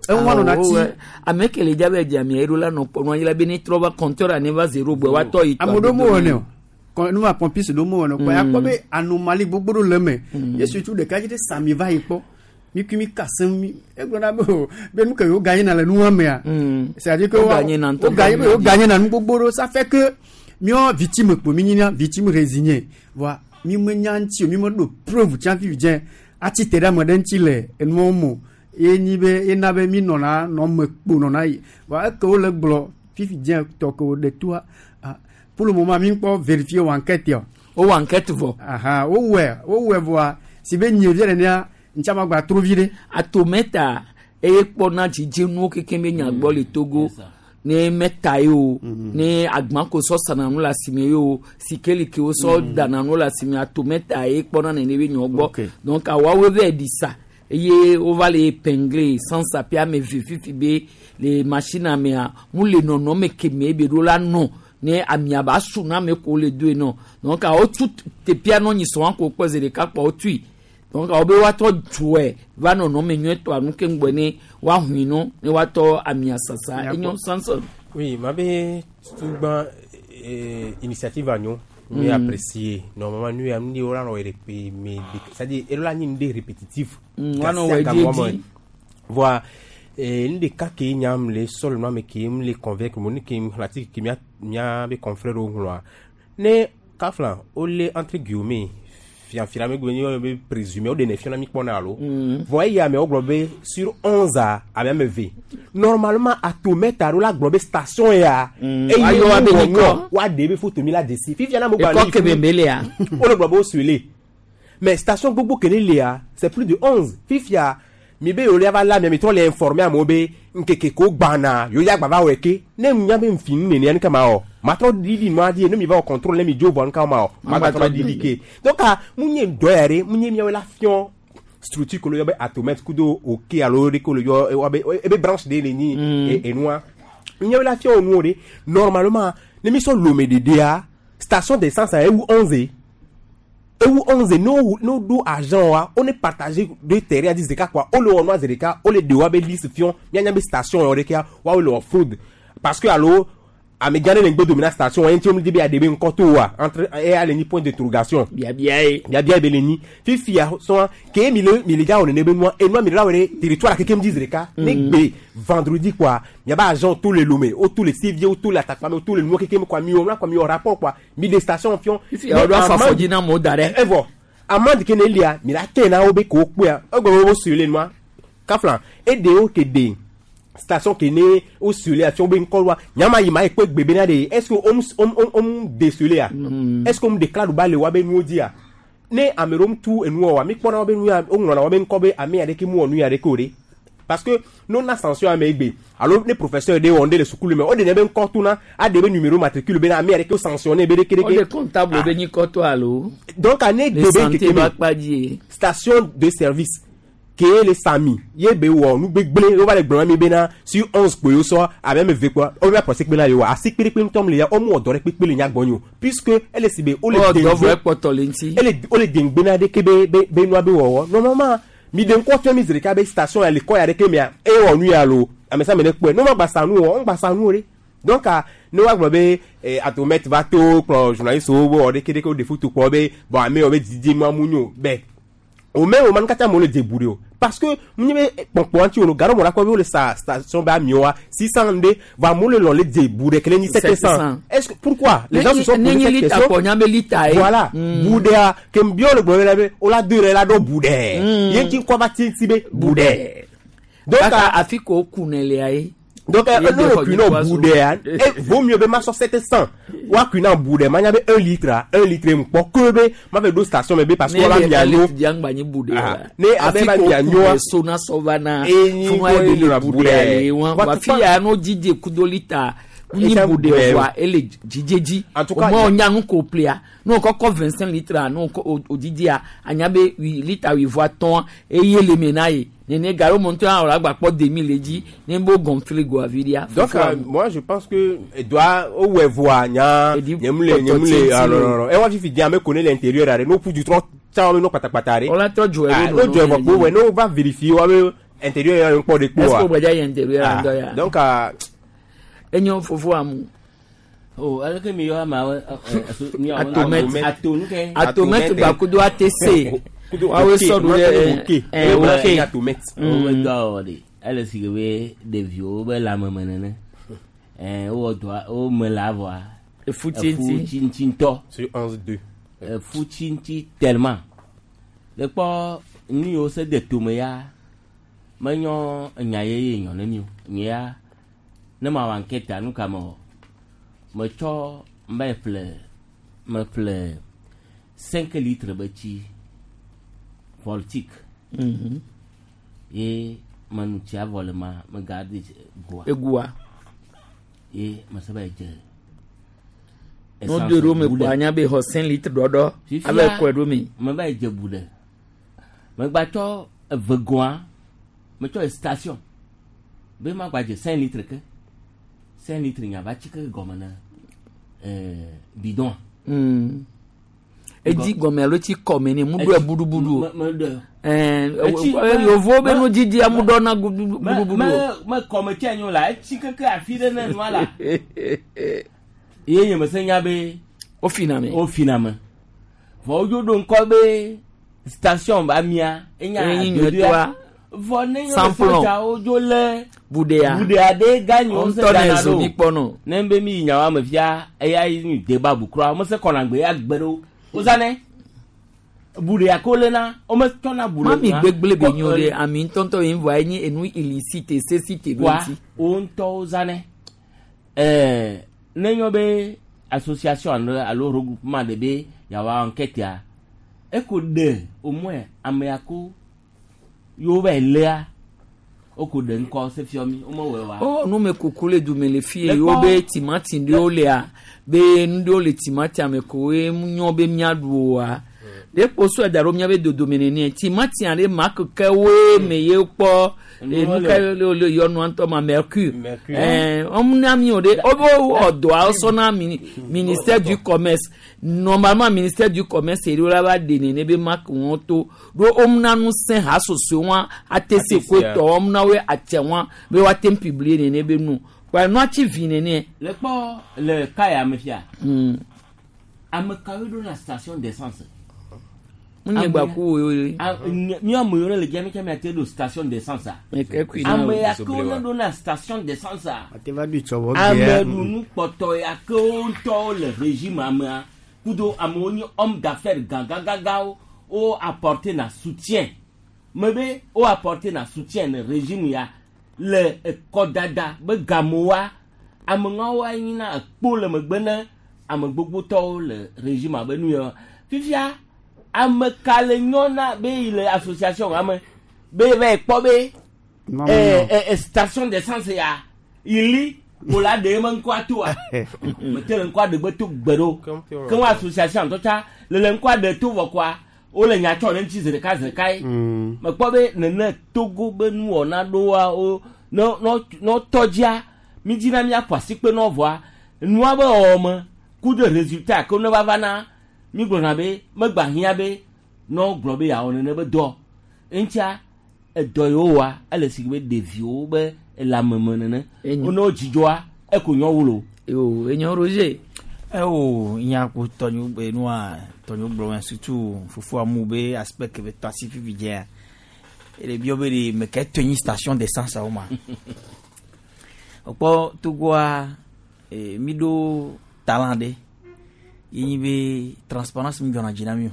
Eŋua nɔ na ti. Ame ke le dza be dzamia eɖo la nɔ kpɔ nua yi la be ne trɔ va compteur ne va zéro gbɔ wa tɔ yi. Ame ɖewo mewɔ ne o. Nu ma pompiste ɖewo mewɔ ne o. Kpɔ ya kpɔ be anomalie gbogbo ɖewo le eme. Yesu tsu ɖeka dzi ɖe sami va yi kpɔ. Mi kui mi ka sem mi egblɔ na be o be nu ke yewo ganye na le nua mea. C'est à dire que wo ganye be yewo ganye na nu gbogbo ɖewo ça fait que míɔ victime kpo mi nyina victime résigné. Voa mi menya ŋuti o mi meɖo preuve tsã fifi dze atsi te ɖe ame ɖe ŋuti le enuawo me o. Ye nyi be ena be mi nɔna nɔ me kpo nɔna yi. Voa eke wole gblɔ fifi dze tɔ ke wo ɖe toa pour le moment mi kpɔ vérifier wo enquête yɔ. O wɔ enquête vɔ. Ahan wo wɔe wo wɔe vɔa si be nye vi nenea ntsa ma gba tro vi ɖe. Atometa eye kpɔna dzidzenuwo kekem be nyagbɔ le Togo. Ne mɛta ye o ne agbãko sɔ sana nu le asime ye o sikeli ke wo sɔ dana nu le asime atometa ye kpɔna nene be nyɔ gbɔ donc awoawoe va ɖi sa eye wova le épinglé sans sape ame ve fifi be le machine mea mu le nɔnɔme keme be ɖo la nɔ ne amia ba su na ame ko le doe nɔ donc awo tu teƒea nɔ nyi sɔn ko kpɔ zi ɖeka kpɔ wotui donc awo be woatɔ dzoe va nɔnɔme nyuietɔ anu ke ŋgbɔ ne woahui nɔ ne woatɔ amia sasa enyo sansan. Oui, ma be tugba eh, initiative anyo mi mm. apprécier normalement nous am ni ora no répé mais c'est-à-dire ela ni ndé répétitif. Mm, wana wɛ di. Voilà. Et une des cas qui nyam les seulement mais qui me les convaincre mon qui me l'article qui m'a m'a be confrère au ngloa ne kafla o le entre guillemets fian fian me gbenyo be présumé o de ne fian mi pona alo voyez ya me o globe sur onze a a même v normalement à tout mettre à la globe station ya et ayo abe niko wa de be photo mi la desi fi fian na mo gba ni ko kebe ya o le globe o suele mais station gbogbo kene le a c'est plus de onze fifia mi be yole ava la mi mi tɔ le informer amewo be nkeke ko gbana yo ya gbava wɔ ke ne nya be nfi nu nenia nu kama o ma trɔ didi nua di ne mi va wɔ contrôle ne mi dzo vɔ nu kama o ma gba trɔ didi ke donc mu nye dɔ ya ɖe mu nye miawo la fiɔ structure kolo yɔ be atomètre kudo oke alo ɖe kolo yɔ wa be ebe branche ɖe le nyi enua miawo la fiɔ nuwo ɖe normalement ne mi sɔ lome ɖeɖea station d'essence a ewu onze. Ewu onze no no do agent wa on est partagé deux terrains dix quoi on le on zedeka on le de wa be liste fion mi anya be station on reka wa le fraude parce que allo amegane ne gbe domina station on ti di be adebe nkoto wa entre et à ni point d'interrogation bia bia e bia bia be le ni fifi a son ke mi le mi le ga on ne be moi et moi mi la were territoire ke ke mi zedeka ne gbe vendredi quoi mi ba agent tous les lomé au tous les civiers au tous les attaquants tous les nous ke ke quoi mi on la quoi mi rapport quoi mi des stations fion fifi a do fa fo dina mo dare e vo amande ke ne lia mi la te na obe ko pe a o go sur le moi kaflan e de o ke de station qui né au sur la fion ben quoi nyama yi ma ekpe gbebe na de est-ce que on on on décelé a est-ce qu'on déclare ba le wa be nu di a ne amerom tout enu wa mi pona wa be nu ya o nona wa be nko be ame ade ke mu onu ya de ko de parce que non na sanction amegbe alors les professeurs de on de le sukulu mais on de be nko tout na a de be numéro matricule be na ame ade ke sanctionner be de ke on de comptable be ni ko to alo donc année de be station de service ke le sami ye be wo nu gbegble o va le gbon mi be na sur onze po so a même ve quoi o va penser que na yo a si pere pe ntom le ya o mu odore pe pe le nya gbonyo puisque elle si be o le de ele o le dengbe na de ke be be nu abe wo normalement mi de nko fia mi zreka be station ya le ko ya de ke mi a e wo nu ya lo ame sa me ne pe no ma gba sanu o on gba sanu re donc no wa gbo be atomètre va to pro journaliste o bo de ke de ke o de foot ko be bon ame o be didi ma munyo be au même moment kata mo le débouré parce que mu be ponpo anti ono garo mo la ko be le sa station ba mioa six cents deux va mo le lon le débouré que le ni sept cents est-ce que pourquoi les gens se sont posé cette question voilà boudé ke mbio le gbo la be o la deux la do boudé yen ti ko ba ti ti be boudé donc afiko kunele ay Donc ne le kui na bu ɖea e vaut mieux be ma sɔ sept cent wa kui na bu ɖe ma nya be un litre a un litre mu kpɔ ke be ma fɛ ɖo station me be parce que wa mia nyo ne abe ba mia nyoa sona sɔvana funua ye le bu ɖe le wa wa fi ya no dzidze kudo lita ni bu ɖe wa ele dzidze dzi o ma o nya nu ko plea n'o kɔkɔ vingt cinq litres n'o o dzidzea anya be lita wuieve atɔ̃ eye le me na ye. Nene garo monto a gba kpɔ demi le dzi ne bo gonfle go aviria. Donc euh, moi je pense que doit o we voa nya nyemle nyemle ah non non non. E wa fifi dia me connaît l'intérieur are no pu du trop tsa no pata pata re. On la tro jo e no jo e ko we no va vérifier wa be intérieur ya un po de ko. Est-ce que gbaja intérieur ando ya. Donc euh enyo fofo amu. Oh, alors que mi yo ma atomètre atomètre atomètre ba kudo A T C. Awo sɔrɔ ɖe ɛ ok wo be dɔ wɔ de ele si ke be ɖeviwo be lãmeme nene ɛ wowɔ dɔa wo me la vɔa efu tsi ŋuti ŋutɔ sur onze deux efu tsi ŋuti tellement le kpɔ nu yiwo se de tome ya menyɔ enya yeye nyɔ ne mi o nye ya ne ma wɔ anketa nu ka me wɔ metsɔ me ƒle me ƒle cinq litres be tsi voltique. Mm-hmm. Et manutia volema me garde goa. Et goa. Et ma ça va être. No deux roues me poigna be ho cinq litres dodo avec quoi romi. Me va être boude. Me gba to vegoa. Me to station. Be ma gba je cinq litres que cinq litres nya va tike gomena euh bidon. Mm. Edi gɔmɛ alo ti kɔmɛ ni mudu budubudu ɛɛ yovo be nu didi amu dɔ na budubudu. mɛ mɛ kɔmɛ tí a nyɔ la etsi keke afi ɖe ne nua la ye nye mese nya be. O fina me. O fina me vɔ wodzo ɖo ŋkɔ be station ba mia enya adodoa vɔ ne nyɔ sɔdza wodzo lé budea budea ɖe ganyo se gana ɖo ne be mi yi nyawa me fia eya yi nu deba bukura mese kɔna gbe ya gbe ɖo. Ozane buɖe akole na o me tɔna buɖe. Mami gbegble be nyo ɖe ami ŋutɔŋutɔ yi vɔ enye enu illicite sesite ɖo ŋuti. Wa o ŋutɔ ozane ɛɛ ne nyɔ be association alo alo regroupement de be yawa enquête ya eko ɖe au moins ame ya ko yewo va lea o ko ɖe ŋkɔ se fiɔ mi o me wɔe wa. Ɔ nu me kuku le dume le fie yewo be timati ɖewo lea be nu ɖewo le timati ame ko ye nyɔ be miaɖu oa ɖe kposɔ da ɖo miabe dodome nene timati aɖe ma kekewoe me ye kpɔ nu ka le le yɔnua ŋutɔ ma mercure ɛɛ wɔn na mi o de o b'o wɔ dɔa sɔ na ministère du commerce normalement ministère du commerce yi la va de nene be ma ke wɔn to ɖo wɔn na nu sẽ ha soso wɔn ate se ko tɔ wɔn na wo atse wɔn be wa te publier nene be nu wa nua tsi vi nene. Le kpɔ le kaya me fia. Ame kawo ɖo na station d'essence. Munye gba ku wo ye. Mi ame yiwo le dzia mi tsa mi ate ɖo station d'essence a. Ame ya ke wo ne ɖo na station d'essence a. Ame ɖunu kpɔtɔ ya ke wo ŋutɔwo le régime amea kudo amewo nye homme d'affaires gãgãgãgãwo wo apporter na soutien me be wo apporter na soutien ne régime ya le ekɔdada be gamewoa ameŋawo anyina ekpo le megbe ne ame gbogbotɔwo le régime abe nu ya fifia. Ame ka le nyɔna be yi le association ame be va kpɔ be ɛ ɛ station d'essence ya ili ko la ɖe me ŋkɔa toa mete le ŋkɔa ɖe gbe to gbe ɖo ke ŋu association tɔ tsa le le ŋkɔa ɖe to vɔ koa wole nya tsɔ ɖe ŋuti zi ɖeka zi ɖeka ye mekpɔ be nene Togo be nuwɔna ɖoa wo ne ne tɔ dzia mi dzina miaƒo asikpe nɔ vɔa nua be wɔwɔme ku de résultat ke ne va va na mi gblɔna be megba hiã be nɔ gblɔ be yeawɔ nene be dɔ ŋutia edɔ yiwo wa ele si be ɖeviwo be lãmeme nene wo ne wo dzidzɔa eko nyɔ wolo. Yo enyo Roger. Ewo nya ko tɔnyu be nua tɔnyu gblɔ me surtout fofo amu be aspect ke be tɔ asi fifi dzea ele bio be de me ke tɔ nyi station d'essence awo ma. Okpɔ Togoa mi ɖo talent ɖe. Ye be transparence mi gana dzi na mi o.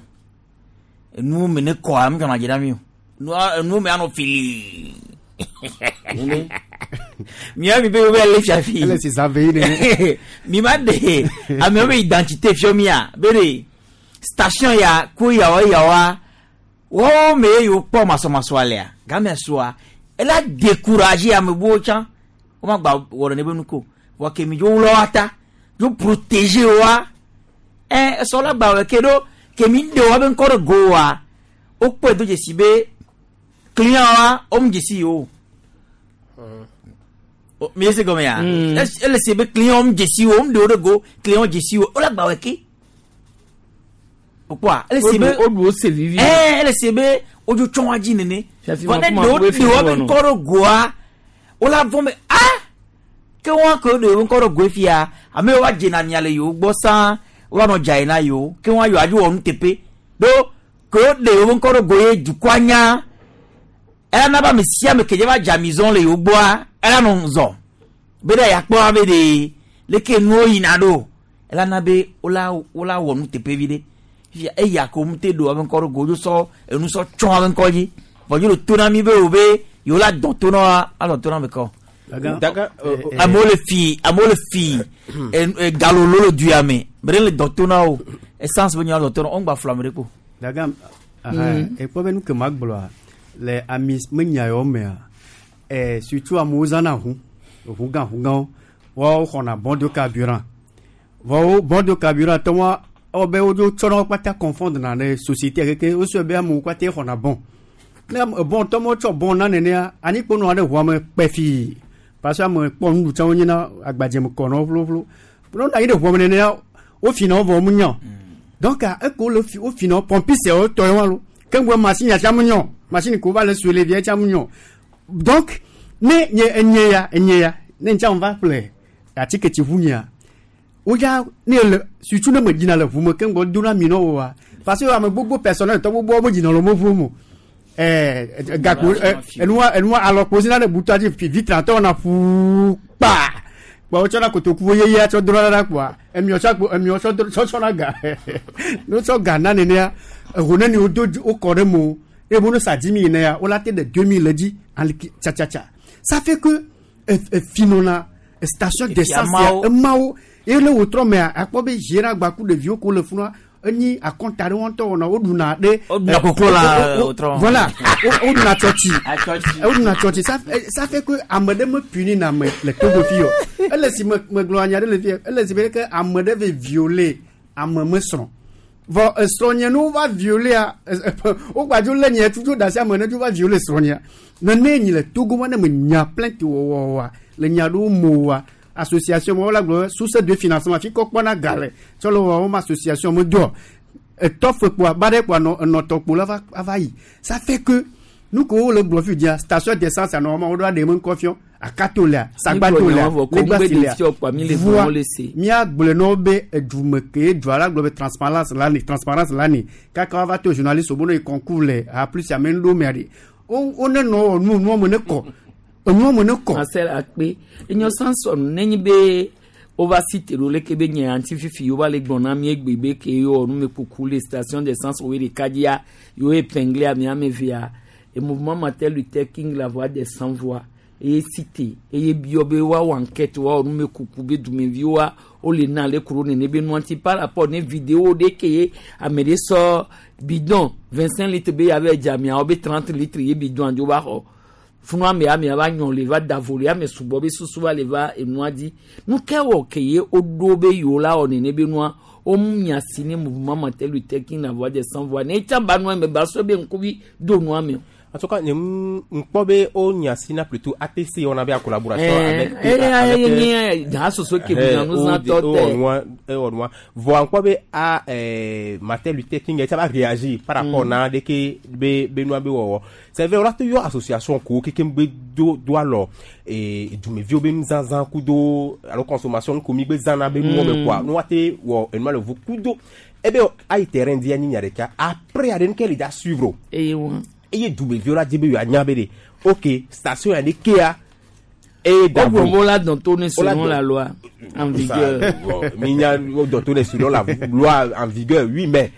Enuwo me ne kɔa mi gana dzi na mi o. Nua enuwo me anɔ fili. Mia mi be wo be le fiafi. Ele si zave yi ne. Mi ma de amewo be identité fio mia be de station ya ku yawa yawa wo me yo kpɔ masɔmasɔ alea game soa ela décourager ame buwo tsã wo ma gba wɔ ɖe ne be nu ko vɔ ke mi dzo wlɔ wa ta dzo protéger wa ɛ esɔ la gba wɔ ke ɖo ke mi ɖe wa be ŋkɔ ɖe go wa wo kpɔe do dzesi be client wa wo mu dzesi yi o O, mi ese gɔme ya Mm. Es- ele se be client wo mu dzesi wo mu ɖe wo ɖe go client wo dzesi wo wo la gba wɔ ke o kpɔa ele se be O ɖu o se vivi. ɛɛ ele se be wodzo tsɔ wa dzi nene Fiafi vɔ ne ma ɖewo kuma ɖe wo be nɔ. ŋkɔ ɖe goa wo la vɔn be ah ke wɔn ke ɖe wo ŋkɔ ɖe goe fia ame yiwo va dzena mia le yewo gbɔ sãa wo va nɔ dza yi na yewo ke wɔn yewoa dzo wɔ nuteƒe ɖo ke wo ɖe yewo ŋkɔ ɖe go ye dukɔa nya ela na be ame sia ame ke dze va dze amizɔn le yewo gbɔa ela nɔ zɔ be ɖe yakpɔ be ɖe leke nuwo yina ɖo ela na be wola wola wɔ nuteƒe vi ɖe fifia eya ko mu te ɖo abe ŋkɔ ɖo go dzo sɔ enu sɔ tsɔ abe ŋkɔ dzi vɔ dzo le to na mi be wo be yewo la dɔn to na wa alɔ to na ame kɔ. Daga, euh, euh, amewo le fi amewo le fi e- e- galolo le du ya me me ɖe le dɔn to na wo essence be nya dɔn to na wo ŋgba flu ame ɖe ko. Daga aha ekpɔ be nu ke ma gblɔa le ami menya yawo mea eh, surtout amewo zãna ʋu ʋu gã ʋu gãwo woawo xɔna bon de carburant vɔ wo bon de carburant tɔ wa ewɔ be wodzo tsɔna wo kpata confondre na ne société keke wosɔe be amewo kpata xɔna bon ne ame- bon tɔ me wotsɔ bon na nenea anyikpo nɔa ɖe ʋua me kpe fii parce que ame kpɔ nuɖuɖu tsã wonyina agbadze me kɔ na wo ƒloƒlo ne wonɔ anyi ɖe ʋua me nenea wofina wo vɔ wo mu nya o donc eko le fi wofina wo pompiste wo tɔ ye wa lo ke ŋgɔ machine ya tsã mu nya o machine ko va le sue le via tsã mu nya o donc ne nye enye ya enye ya ne ŋtsã me va ƒle atike tsi ʋu nyea wodza ne le surtout ne me dzina le ʋu me ke ŋgɔ dona mi na wo wa parce que ame gbogbo personnel tɔ gbogbo wo dzina le wo ʋu me ɛɛ gakpo ɛ enua enua alɔkpo si na ɖe butɔa dzi fi vitre atɔ wɔna ƒuu kpa kpa wotsɔna kotoku yeye tsɔ dona ɖa kpoa emiɔ tsɔ kpo emiɔ tsɔ do- tsɔ tsɔna ga ne wotsɔ ga na nenea eho neni wodo dzi- wokɔ ɖe mo eye mo ne sa dix mille nea wola te ɖe deux mille le dzi aliki tsatsatsatsa ça fait que efinɔna station d'essence ya emawo- emawo eye le wòtrɔ mea akpɔ be ziera gbaku ɖeviwo ko le funua enyi akɔnta ɖe wɔn ŋutɔ wɔna woɖuna ɖe Woɖuna koklo la wo- wo- wòtrɔ. voilà wo- woɖuna tsɔtsi Atsɔtsi. woɖuna tsɔtsi ça fait- ça fait que ame ɖe me puni na ame le Togo fi o ele si me megblɔ nya ɖe le fi ele si be ke ame ɖe ve violer ame me srɔ̃ vɔ esrɔ̃nye ne wova violea wogbadzo lé nye tutu da asi ame ne dzo va violer srɔ̃nyea nene nyi le Togo ma ne me nya plainte wɔwɔwa le nya ɖewo mo wa association ma wola gblɔ be source de financement fi kɔ kpɔna ga le tsɔ le wɔ wɔm association me doa etɔ fe kpoa ba ɖe kpoa nɔ enɔtɔ kpo la va ava yi ça fait que nu ke wo le gblɔ fi dzia station d'essence anɔ wɔma wo ɖo aɖe me ŋkɔ fiɔ akato lea sagbato lea vɔ ko ŋgbe legbasi ɖe lea fiɔ kpoa mi le voa vɔ le se. míagblɔe na wo be edume ke dua la gblɔ be transparence la ni transparence la ni kaka woava to journaliste wo be ne yi concours le a plus ame ŋɖo mea ɖe wo wo ne nɔ wɔ nu nua me ne kɔ enua me ne kɔ Marcel akpe enyo Samson nenyi be wova si te ɖo leke be nye anti fifi yewo va le gblɔ na mi egbe be ke yewo wɔ numekuku le station d'essence wo ɖeka dzia yewo épinglé ame ame evea e mouvement Martin Luther King la voix des sans voix eye cité eye biɔ be woawɔ enquête woawɔ numekuku be dumeviwoa wole na le kuro nene be nua ŋuti par rapport ne vidéo ɖe ke ye ame ɖe sɔ bidon vingt cinq litres be yave dze amiawo be trente litres ye bidon dzo va xɔ funu ame ame va nyɔ le va da vo le ame sugbɔ be susu va le va enua dzi nu ke wɔ ke ye woɖo be yewo la wɔ nene be nua womu nya si ne mouvement Martin Luther King la voix des sans voix ne etsa ba nua me ba sɔ be ŋkuvi do nua me o. En tout cas, ŋkpɔ be wo nya si na plutôt ATC on avait en collaboration Eh, avec eh, avec, eh, eh, eh, soso ke eh, bu na o zã de- tɔ o tɛ. wɔnua e wɔnua vɔa ŋkpɔ be a eh, Martin Luther King etsa va réagir par rapport Mm. na ɖeke be be nua be wɔwɔ c'est vrai wola te yɔ association ko kekem be do do alɔ eh, dumeviwo be nuzazã kudo alo consommation ko mi be zãna be nuwo me Mm. kɔa ne woate wɔ enua le ʋu kudo ebe ayi terrain di anyi nya ɖeka après aɖe nuke le dza suivre o eye wa eye dumeviwo la dzi be yewoanya be de ok station ya ɖekea eye da Wogblɔ vo be wola dɔn to ne Wola selon dɔn- la loi en vigueur. Ça, bon, minya dɔn to ne selon la loi en vigueur oui mais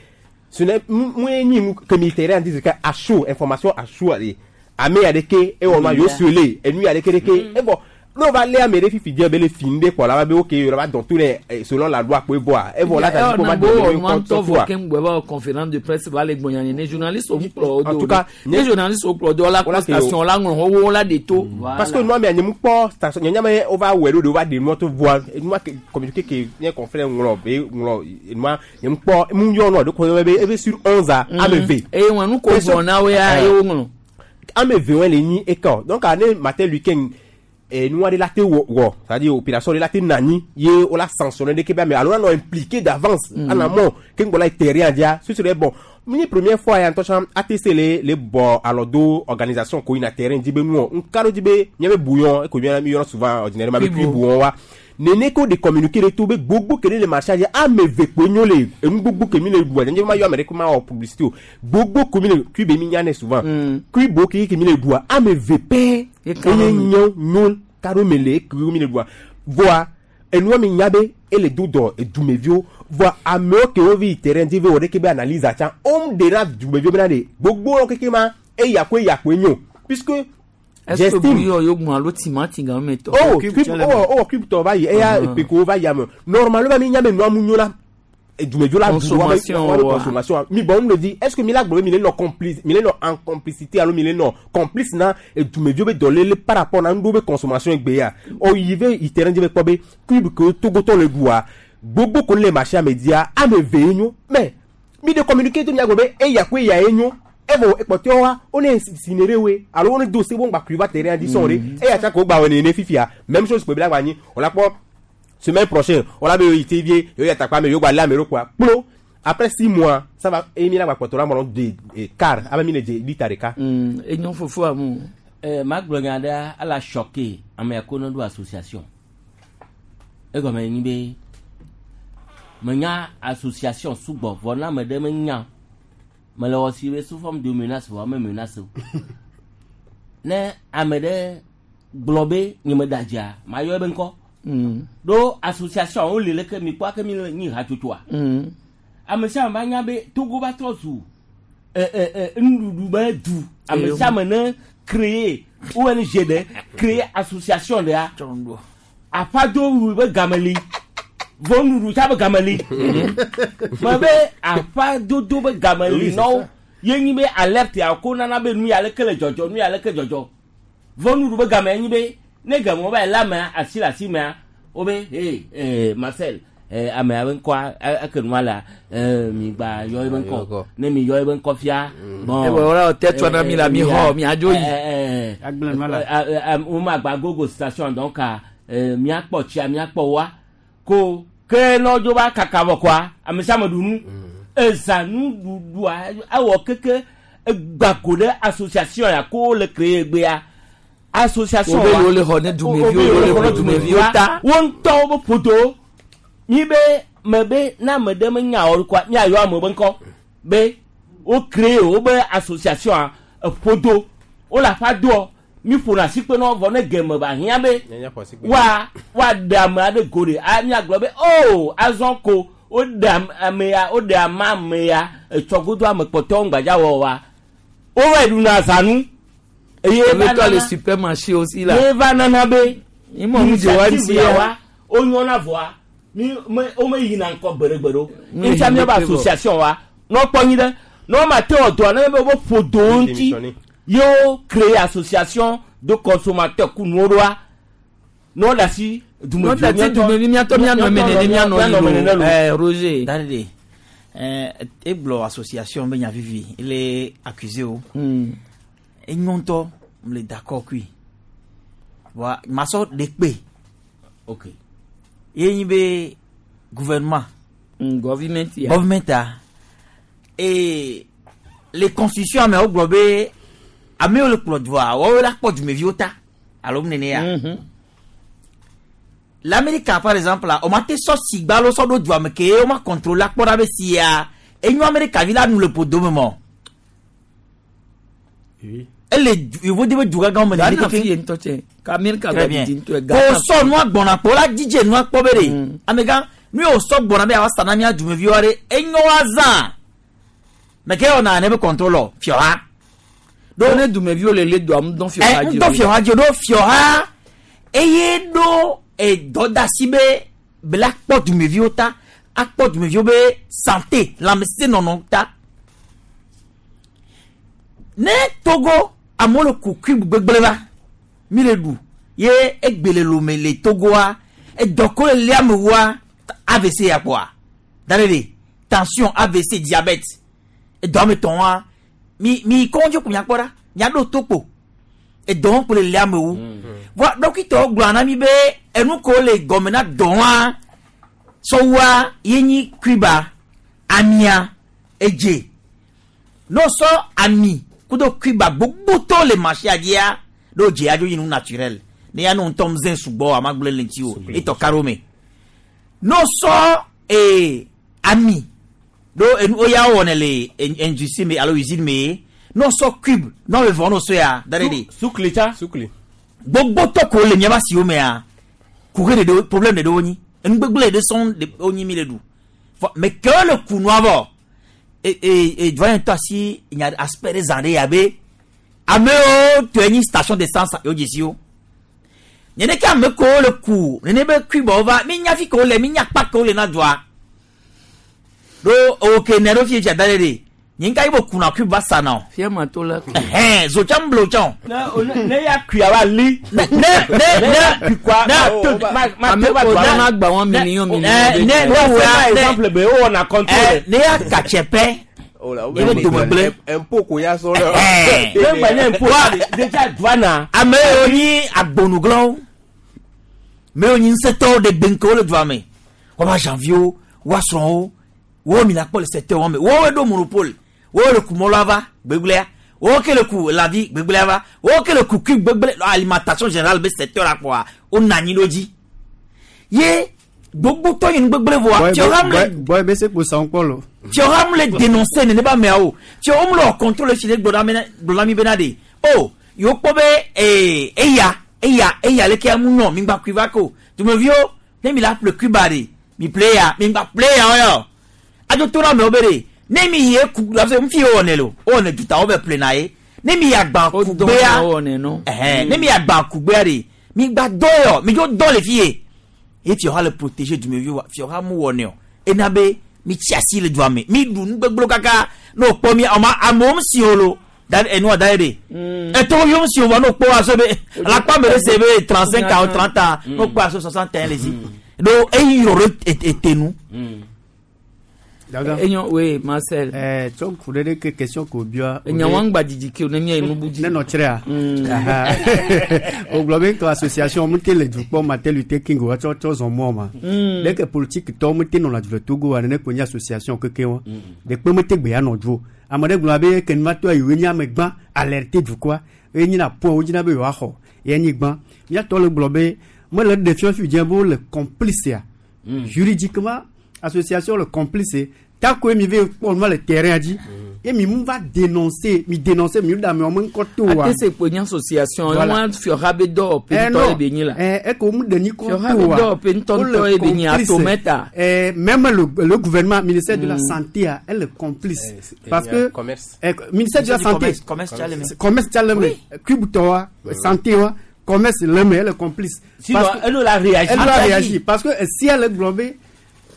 ce n'est moi ni que militaire en disent que à chaud information à chaud allez Ame ya ɖeke ewɔ ma yewo sue enu ya ɖeke ɖeke evɔ n'o va lé ame ɖe fifi dze be le fi ŋɖe kpɔ la va be ok yɔrɔ va dɔn to nɛ eh, selon la loi kpoe vɔa evɔ la ta ko va bo dɔn nua ne ŋutɔ kɔ vɔ tɔ ke ŋgbɔ va wɔ conférence de presse va le gbɔnya ne journaliste wo kplɔ wo En do tout cas, ne journaliste wo kplɔ do la Wala kpɔ ke yo- station la ŋlɔ wo la de to. Parce que nua mea nye mu kpɔ station nye nya wo va wɔ ɖo de wo va ɖe nua to voa nua ke communiqué ke nye confrère ŋlɔ be ŋlɔ nua nye mu kpɔ mu yɔ nua ɖo ko be ebe sur onze a ame ve. Eye wɔn nu ko gblɔ na wo ya ye wo ŋlɔ. Ame ve wɔn le nyi eka donc ane Martin Luther King nua ɖe la te wɔ wɔ c'est à dire opération ɖe la te nani ye wo la sanctionné ɖe ke be ame alo la nɔ impliqué d'avance mm. en amont ke ŋgbɔ la yi terrain dia ce serait bon. Mi première fois ya ŋutɔ tsã A T C le le bɔ alɔ do organisation ko yina terrain dzi be nuwɔ ŋka ɖo dzi be míabe bouillon eko míana mi yɔrɔ souvent ordinairement be cuit bouillon wa nene ko de communiqué ɖe to be gbogbo ke ɖe le marché dzi ame eve kpoe nyo le enu gbogbo ke mi le ɖua nye ma yɔ ame ɖe ko ma wɔ publicité o gbogbo ko mi le cuit be mi nya nɛ souvent cuit bo ke ke mi le ɖua ame eve pɛ eye nyo nyo ka ɖo me le ke mi le ɖua voa enua mi nya be ele do dɔ edumeviwo voa amewo ke wo vi yi terrain dzi ve wɔ ɖeke be analyse atsã wo ɖe na dumeviwo bena ɖe gbogbo keke ma eya ko eya koe nyo puisque Est-ce que j'estime bouillon yo gbɔn alo timati gan me tɔ. oh cube oh oh cube tɔ va yi eya peko va yi ame normalement mi nya be nua mu nyo la dumeviwo la du wa be Consommation, wa be wa. consommation mi bon me di est ce que mi la gblɔ be mi le nɔ complice mi le nɔ en complicité alo mi le nɔ complice na dumeviwo be dɔlele par rapport na nuɖewo be consommation egbe ya o yi ve yi terrain dzi be kpɔ be cube ke togotɔ le ɖua gbogbo ko le marché ame dia ame eve ye nyo mais mi de communiqué to mia gblɔ be eya ko eya ye nyo evɔ ekpɔtɔe wa wo ne sinere we alo wo ne do se wo ŋgba kui va terrain dzi sɔn ɖe eya tsa ko gba wɔ nene fifia même chose kpe bi la gba nyi o la kpɔ semaine prochaine on la be yi te vie yo ya takpa me yo gba lé ame ɖo kɔa kplo après six mois ça va eye mi la gba kpɔtɔ la mɔlɔ de eh, car abe mi le dze lita ɖeka. Enyo fofo amu. Eh, magblɔ nya ɖe ala choqué ame ya ko ne ɖo association egɔme nyi be menya association sugbɔ vɔ na ame ɖe menya mele wɔ si be sous forme de menace vɔ ame menace o ne ame ɖe gblɔ be nye me da dzia mayɔ ebe ŋkɔ ɖo association wo li leke mi kpɔ ake mi le nyi hatsotsoa ame sia ame va nya be Togo va trɔ zu ɛ ɛ ɛ nuɖuɖu be du ame sia ame ne créer O N G ɖe créer association ɖea aƒado wu be game li vɔ nuɖuɖu tsa be game li me be aƒadodo be game li Oui, c'est nɔwo ça. ye nyi be alerte ya ko nana be nu ya leke le dzɔdzɔ nu ya leke dzɔdzɔ vɔ nuɖuɖu be game ye nyi be ne game wo va yi le amea asi le asi mea wo be hey eh, Marcel eh, amea be ŋkɔa e- eke nua lea eh, mi gba yɔ ebe ŋkɔ ne mi yɔ ebe ŋkɔ fia bon Eh, voilà, tête na mi la mi xɔ, mi adzo yi. eh, eh, Agblẽ nua la. eh, eh, eh, wo ma gba gogo station donc ah, eh, miakpɔ tsia miakpɔ wa ko ke nɔ dzo va kaka vɔ kɔa ame sia ame ɖu nu eza nuɖuɖua ewɔ keke egba go ɖe association ya ko le créer gbea association Wo be wa yewo le xɔ ne dumeviwo, wo be yewo le yewo xɔ le ne dumeviwo ta. wo ŋutɔwo be ƒodo mi be me be ne ame ɖe menya o kɔa miayɔ ame be ŋkɔ be wo créer wo be association eƒodo wo le aƒa doɔ mi ƒona asikpe nɔ vɔ ne geme ba hiã be wa wa ɖe ame aɖe go ɖe a miagblɔ be o azɔ ko wo ɖe ame ame ya wo ɖe ama ame ya etsɔ godo ame kpɔtɔwo ŋgbadza wɔ wa wo va yi ɖuna zanu eye Ebe va tɔ le nana supermarché aussi là. ye va nana be Ni mɔ nu dze wa ŋuti ya ya. wa wo nyɔna vɔa mi me wo me yina ŋkɔ gbeɖegbeɖe o Mi ŋutia yi miabe ŋkɔ. association wa n'o kpɔ nyi ɖe n'o ma te wɔ dɔa ne be wo ƒo dowo ŋuti Démissionner. ye wo créer association de consommateurs ku nuwo ɖoa n'o da si N'o da si dumevi miatɔ mianɔ eme nene mianɔ yi lo. Eh, Roger. Dade eh, egblɔ association be nya vivi ele accusé o. Enyo ŋutɔ mle d'accord kui. Wa masɔ ɖe kpe. Ok. Ye nyi be gouvernement. Mm, government ya. Government a. Et les constitutions amewo gblɔ be amewo le kplɔ dua woawo la kpɔ dumeviwo ta alo nene ya. L'Amérique par exemple la, o ma te sɔ sigba lo sɔ ɖo dua me ke o ma contrôle akpɔ ɖa be sia enyo Amérique vi la nu le ƒodo me mɔ. Ele du- yevo de be dugagãwo me Ghana nene fi ye ŋutɔ tsɛ. Ka Amerika Très gba bien. didi ŋutɔ Ko sɔ nua gbɔna kpo la dzidze nua kpɔ be ɖe. Amegã nu ye wòsɔ gbɔna be yeawa sa na mía dumeviwo ɖe enyo wa zã. Mɛ ke wɔna ne be contrôle fiɔha. Do ne dumeviwo le le doa ŋdɔ fiɔ ha ɛ dzi ŋdɔ fiɔ ha dzi ɖo fiɔ ha eye ɖo edɔdasi be bela kpɔ dumeviwo ta akpɔ dumeviwo be santé lãmesẽnɔnɔ ta ne Togo amewo le ku cube gbegblẽ va mi le ɖu ye egbe le lome le Togoa edɔ ko le lia amewoa AVC ya kpɔa da ɖe de tension AVC diabète edɔ ame tɔn wa mi mi kɔndzi ko miakpɔ ɖa miaɖo to kpo edɔ wɔm kpo le lia amewo voa dɔkitɔwo gblɔ na mi be enu ko le gɔme na dɔ wa sɔwua ye nyi kuiba amia edze n'o sɔ ami kudo kuiba gbogbo le marché adzia n'o dze adzo yi nu naturel ne ya nu ŋutɔ ŋzẽ sugbɔ amagblẽ le ŋuti o etɔ karo me n'o sɔ ee ami ɖo enu oya wɔnɛ le industrie me alo usine me n'o sɔ cube n'o bɛ vɔ n'o sɔ ya da ɖe de sukli tsa sukli gbogbo tɔ ko le miaba siwo mea kuxe ɖeɖe wo problème ɖeɖe wo nyi enugbegble ɖe sɔŋ de wo nyi mi le ɖu fɔ mɛ kewo le kunua vɔ e e e doyen tɔ asi nya aspect ɖe zã ɖe ya be amewo tɔe nyi station d'essence yewo dzesi wo nene ke ame kewo le ku nene be kuibɔwo va mi nya fi kewo le mi nya kpa kewo le na dua ɖo ewo ke ne ɖo fi dza da ɖe de nye ŋka yi bo kuna cube va sa na o. fia ma to la. ɛhɛn zotsa blo tsã o. ne ne ya kuia wa li. ne ne ne ne kuikua ne ma ma ame te va ko dua. dɔn agba wɔn million million. ne ne ne wo wo ya ne exemple be wo wɔna contrôle. ne ya katsɛ pɛ Oh ye be dome gblẽ. Impôt ko ya sɔ lɛ. Ɛhɛn. ne gba nye impôt déjà douane. ame yiwo nyi agbonuglawo ame yiwo nyi ŋusẽtɔwo ɖe gbeŋkewo le dua me woava janviwo woa srɔ̃wo wo mina kpɔ le secteur wɔn me wowoe ɖo monopole wowo le ku mɔlɔa va gbegblẽa wowo ke le ku lãvi gbegblẽa va wowo ke le ku cube gbegblẽ alimentation générale be secteur la kpɔa wona anyi ɖo dzi ye gbogbotɔ yi nu gbegblẽ vɔa fiɔham le bɔy bɛ se kpo san kpɔ lo. fiɔham le dénoncer nenema ameawo fiɔham le wɔ contrôle si ɖe gblɔ na mi bena de o yewo kpɔ be ee eya eya eya leke amu nyɔ mi gba kui va ko dumeviwo ne mi la ƒle kuiba de mi ƒle ya mi gba ƒle ya yɔ adzo to na amewo be de ne mi yi eku la fi ye wɔnɛ lo wɔnɛ dutawo bɛ ƒle na ye ne mi yi agba kugbea ɛhɛn ne mi yi agba kugbea de mi gba dɔ yɔ mi dzo dɔ le fi ye ye fiɔha le protéger dumeviwo wa fiɔha mu wɔnɛ o ena be mi tsi asi le dua me mi ɖu nugbegblẽwo kaka ne o kpɔ mi ɔma amewo mu si o lo da enua da ye de ɛtɔwo yom si o wa n'o kpɔ wa so be alakpa me de se be trente cinq ans ou trente ans n'o kpɔ aso soixante et un le si do eyi yɔrɔ etenu. Enyo oui Marcel. Eh tsɔ ku ɖe ɖe ke question ko bia. Enya wɔn gba dzidzi ke o ne mia yi nubu dzi. Ne nɔ tsrea. O gblɔ be ŋutɔ association mu te le dukpɔ Martin Luther King wa tsɔ tsɔ zɔn mɔ ma. Leke politique tɔwo mu te nɔna du le Togo wa nene ko nye association keke wa. Ɖekpe mu te gbe ya nɔ du o. Ame ɖe gblɔ be ke numa tɔ yi nye ame gbã alerter dukɔa eye nyina point wo dzina be yewoaxɔ ye nyi gbã. Míatɔ le gblɔ be mele ɖe fiɔ fi dze be wole complice ya. Juridiquement association le complice tako mi ve kpɔ nua le terrain dzi ye mi mu va dénoncer mi dénoncer mi da mi wɔn ŋkɔ to wa. ate se kpo nye association Voilà. wọn fiɔha be dɔwɔƒe Eh, ŋutɔ non. ye be nyi la. Eh, e ko mu de ni kɔ Fiɔha to be wa. dɔwɔƒe ŋutɔŋutɔ ye be nyi atometa. Eh, même le, le gouvernement ministère de la santé a, elle est complice parce il y a que commerce. eh, ministère de la Ministère du santé commerce, commerce tsa le me. commerce tsa le me cube tɔ wa santé wa commerce le me elle est complice. Sinon, Parce que- elle a réagi. elle a réagi parce que si elle est globée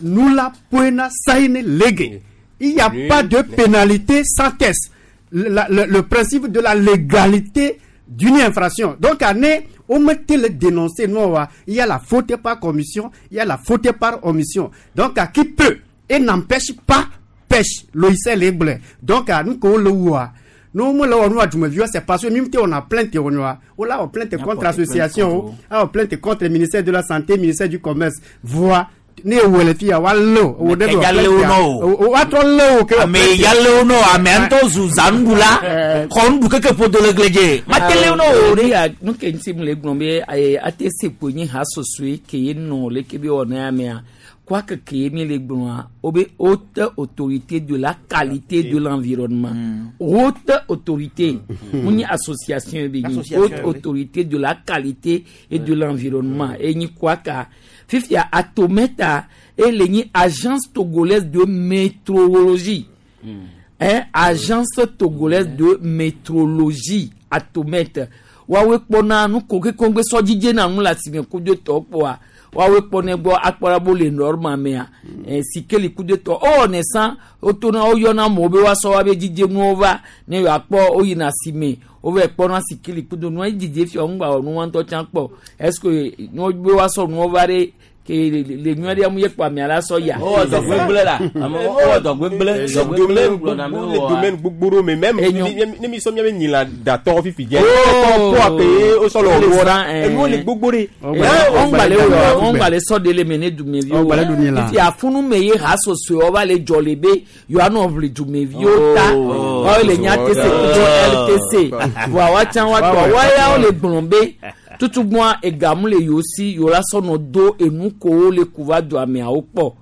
nous la poena saine légué. Il n'y a Nul pas de n'est- pénalité sans test. Le, la- le- le principe de la légalité d'une infraction. Donc, année, on mettait le dénoncé. Non, wa, il y a la faute par commission, il y a la faute par omission. Donc, à qui peut et n'empêche pas pêche. Loïsel est blé. Donc, à nous, qu'on le voit. Nous, moi, là, on a du c'est parce que même si on a plainte, on a, on a plainte On a contre porté plainte l'association, contre ah, on plainte contre le ministère de la Santé, ministère du Commerce. Voit, ne wele fi ya wa lo o de Ke ya le wo nɔ o. o wa trɔ le o ke ame ya le wo nɔ ame ŋutɔ zu zanuɖula xɔ nuɖu keke ƒodo le gli dzi mate le wo nɔ o ne ya nu ke ŋuti mu le gblɔ be eh, ate se kpo nye ha sosoe ke ye nɔ leke be wɔna ya mea quoique ke ye mi le gblɔa wo be haute autorité de la qualité de l'environnement haute autorité mu nye association ye be nyi Association, haute oui. autorité de la qualité et de l'environnement e nyi kwaka fifia atometa ele nyi agence togolaise de météorologie Hein, agence togolaise de métrologie atomètre woawoe kpɔna nu ko ke kɔngbe sɔdzidze na nu le asime kudo tɔ kpɔa woawoe kpɔnɛ gbɔ akpɔna bo le norme mea eh, sikeli kudo tɔ ewɔ ne san wotona woyɔna amewo be woasɔ woabe dzidzenuwo va ne yewoakpɔ woyina asime wova kpɔna sikeli kudo nua dzidze fia ŋgba wɔ nua ŋutɔ tsã kpɔ est ce que ne wobe woasɔ nuwo va ɖe ke le le nyuie ɖe mu ye kpɔ amea la sɔ ya. Wowɔ dɔ gbegblẽ la ame wowɔ dɔ gbegblẽ dɔ gbegblẽ gblɔ na mi le wowɔ. domaine gbogbo ɖo me même ne mi sɔ miabe nyila datɔ fifi dze Oh. kɔ ke o sɔ le Wole wɔ zã, eh. enuwo le gbogbo ɖe. ɔngbale wɔ ɔngbale sɔ de le me ne dumeviwo Ɔngbale ɖu nyi la. ifi afunu me ye ha sosoe va le dzɔ le be yewoanɔ ʋli dumeviwo ta wɔwo le nya tc kudo ltc voa woatsã woatɔ woayawo le gblɔ be tutugbɔa egamu le yewo si yewo la sɔnɔ do enu kowo le ku va do ameawo kpɔ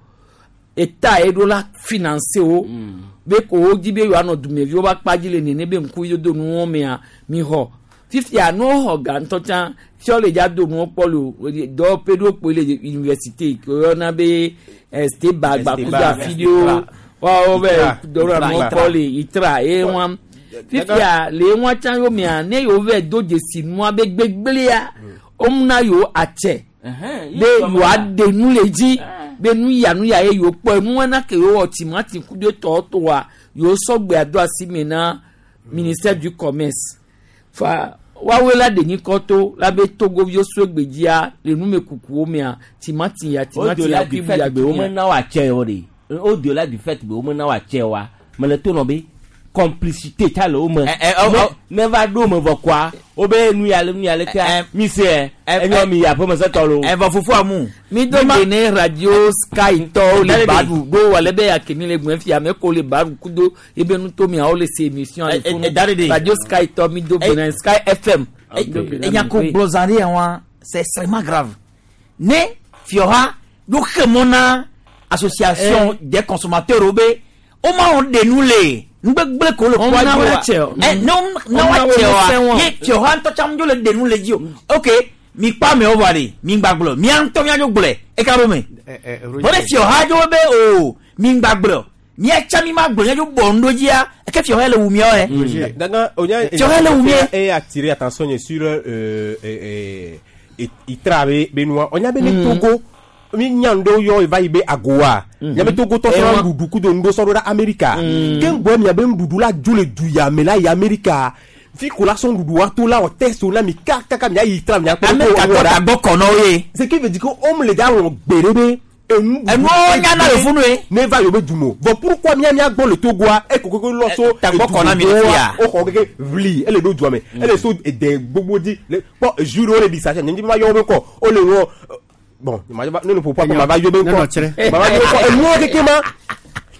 eta ye ɖo la finance wo be ko wo dzi be yewoanɔ dumeviwo ba kpa dzi le nene be ŋku dodo nuwo mea mi xɔ fifia ne woxɔ ga ŋutɔ tsã fiɔ le dza do nuwo kpɔ le o dɔwɔƒe ɖewo kpoe le université ke woyɔna be steba gbakudo afi ɖewo woawo be dɔwɔna nuwo kpɔ le itra ye wa fifia le ŋua tsã yomea ne yewo vɛ do dzesi nua be gbegblẽa womna yewo atsɛ be yewoaɖe nu le dzi be nu ya nu ya ye yewo kpɔ nua na ke yewo wɔ timati kudo tɔwo toa yewo sɔgbe ado asi me na ministère du commerce fa woawoe la ɖe nyikɔ to la be togoviwo so gbedzia le numekukuwo mea timati ya timati au-delà ya du kibu fait ya be womena woatsɛ o ɖe au-delà du fait be womena woatsɛ wa mele to nɔ be complicité ta le wo me ne ne va ɖo me vɔ kɔa wobe nu ya le nu ya le kea mi se ɛ enyɔ mi aƒeme setɔ lo. Ɛvɔ fufu amu. mi do gbe ne radio sky tɔwo le baɖu ɖo wale be yake mi le gbɔn fia ame ko le baɖu kudo ebe nutomiawo le se émission le funu radio sky tɔ mi do gbe na sky fm. Enyako gblɔ ɖe ya wa c'est extrêmement grave. Ne fiɔha ɖo xe mɔ na association des consommateurs wo be woma wɔ ɖe nu le nugbegble ko le Wɔn kɔa na dzi wa woatsɛ o. ɛ ne wɔn na Wɔn na woatsɛ woatsɛ wa o. ye fiɔha ŋutɔ tsã dzo le ɖe nu le dzi o ok mi kpa amewo vɔ ɖe mi ŋgba gblɔ mia ŋutɔ mia dzo gblɔe eka ɖo me vɔ ne fiɔha dzo be o mi ŋgba gblɔ mia tsã mi ma gblɔ mia dzo bɔ nu ɖo dzia eke fiɔha le wu miawo yɛ. Danga, onya Fiɔha le wu mie. et attirer attention nye sur euh euh euh itra be be noa. Onya be ne Togo mi nya ndo yo eva yi be agoa. Nya be Togo tɔ sɔrɔ nuɖuɖu kudo nuɖo sɔrɔ ɖe Amerika. Ke ŋgbɔ mia be nuɖuɖu la dzo le du ya me la yi Amerika. Fi ko la sɔn nuɖuɖu wa to la wɔ test la mi kakaka mia yi itra mia kpɔ. Amerika tɔ tagbɔ kɔ nɔ ye. Ce qui veut dire que homme le da wɔn gbe ɖe be enu Enuwo nyana le funu ye. ne va yewo be du mo bon pourquoi mia mia gbɔ le Togoa e koko lɔ so tagbɔ kɔ na mi le fia. o xɔ keke vli ele ɖo dua me ele so ede gbogbo di le kpɔ jus ɖewo le ɖi sa nye ma yɔ wo be kɔ o le wɔ bon ma ne ne ƒoƒu akɔ ma va yɔ be kɔ ma va yɔ be kɔ enuwo keke ma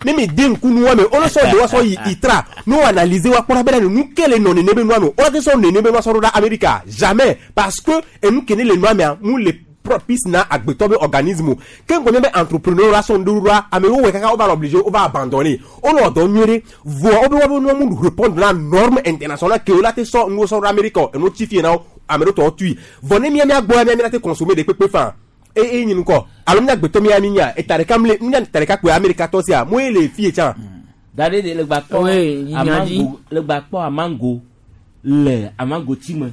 ne mi den ŋku nuwa me wole sɔ de wa sɔ yi itra ne wo analyser wa kpɔna bena nu ke le nɔ nene be nua me o la te sɔ nene be nua sɔ ɖo ɖa Amerika jamais parce que enu ke ne le nua mea mu le propice na agbetɔ be organisme o ke ŋgɔ nye be entrepreneur la sɔ ŋɖo ɖoa amewo wɔ kaka wo va le obligé wo va abandonner wo le dɔ nyuie ɖe vɔa wo be woabe nua mu répondre na norme internationale ke wo la te sɔ nuwo sɔ ɖo Amerika o enuwo tsi fie na wo ame ɖewo tɔwo tui vɔ ne mía mía gbɔ ya mía mía la te consommer de kpekpe fan e e nyi ŋkɔ alo mía gbetɔ mía mi nya eta ɖeka mle mía ta ɖeka kpoe Amerika tɔ sia mo ye le fie tsã. Da ɖe de le gba kpɔ Oui, amango le gba kpɔ amango le amango ti me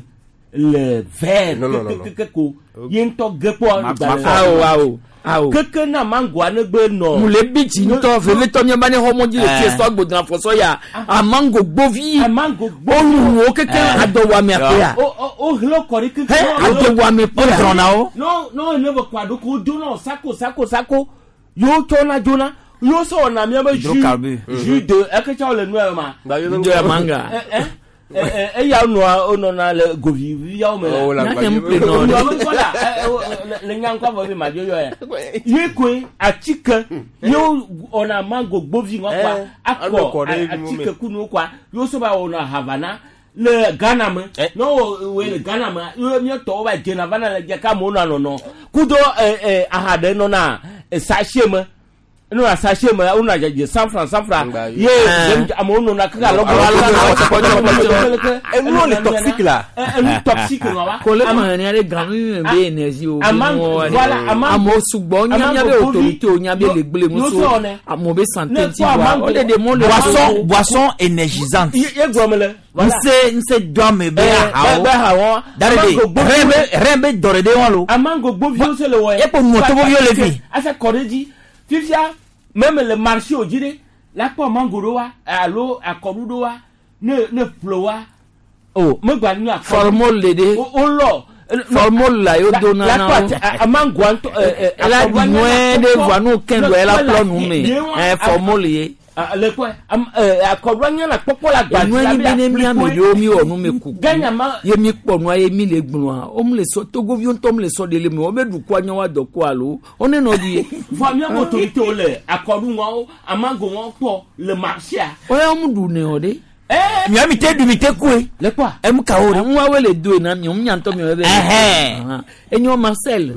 le vert Non, non, non, non. keke ko ye ŋutɔ ge kpɔ Ma- gbalẽ ma- Awo, awo, awo. keke na mangoa ne gbe nɔ mu le bi dzi ŋutɔ vevetɔ mía ba ne xɔ mɔdzi le tie sɔ gbodna fɔsɔ ya amango gbovi amango oluwo keke adɔwɔame akpea o o o hlɔ kɔ ɖi keke Hɛ, adɔwɔame kpea no no ne be kɔ aɖo do sako sako sako yewo tsɔna dzona yewo sɔ wɔna mía be jus Hydrocarbure. jus de eke tsã wole nua ma Do ya manga. Ɛ, ɛ, ɛ, ɛ, eya nɔa wonɔna le goviviawo me Oh, la Nya gba- nye ŋu ple nɔ Nua ɖe. be ŋkɔ la, ɛ, ɛ, wo- le- le nya ŋkɔ vɔ be madzo yɔ ya. Ye koe atike yewo wɔna mango gbovi ŋɔ kɔa Ɛ, akɔ alɔ kɔ ɖe a- nu me. atike kunuwo kɔa yewo sɔ va wɔna havana le Ghana me ne wo woe le Ghana me ye míatɔwo va dzena vana le dze ka amewo nɔa nɔnɔ kudo ɛ ɛ aha ɖe nɔna ɛ sachet me Enu na sachet me wo na dzedze cent franc cent franc ye amewo nɔna kaka alɔ Enu le toxique la. Enu toxique nɔ wa. Kole ma ni ale ganu mi be énergie o. Voilà amewo sugbɔ nya be autorité o nya be le gble muso amewo be santé ti wa o le de mo le. Boisson boisson énergisante. Ye gblɔ me le. Nse nse dɔame be ahawo. Be ahawo. Dare de rɛn be rɛn be dɔre de wɔn lo. Amango gboviwo se le wɔ ye. Epo mɔtoboviwo le fi. Ase kɔ ɖe dzi fifia même le marché o dzi ɖe la kpɔ mango ɖo wa alo akɔɖu ɖo wa ne ne ƒle wa o megba nu akɔɖu. Formol le de. O lɔ. Formol la yo do nana o. La kpɔ amangoa ŋutɔ ɛ ɛ. La nyuie ɖe voa nu kɛn do ela kplɔ nu me ɛ formol ye. Le kpɔ akɔɖua nye la kpɔkpɔ la gba. Enua ni bi ne mi ame ɖewo mi wɔ nu me kuku ye mi kpɔ nua ye mi le gblɔa wo mu le sɔ togoviwo ŋutɔ mu le sɔ de le me wo be ɖukua nye wa dɔ ko alo wo ne nɔ di ye. Vɔ miawo autorité le akɔɖu ŋɔwo amango ŋɔwo kpɔ le marché a. O ya mu ɖu ne o de. Mia mi te ɖu mi te koe. Le kpɔa. Emu kawo de. Ŋua le do na mi ŋu ŋutɔ mi be. Enyo Marcel.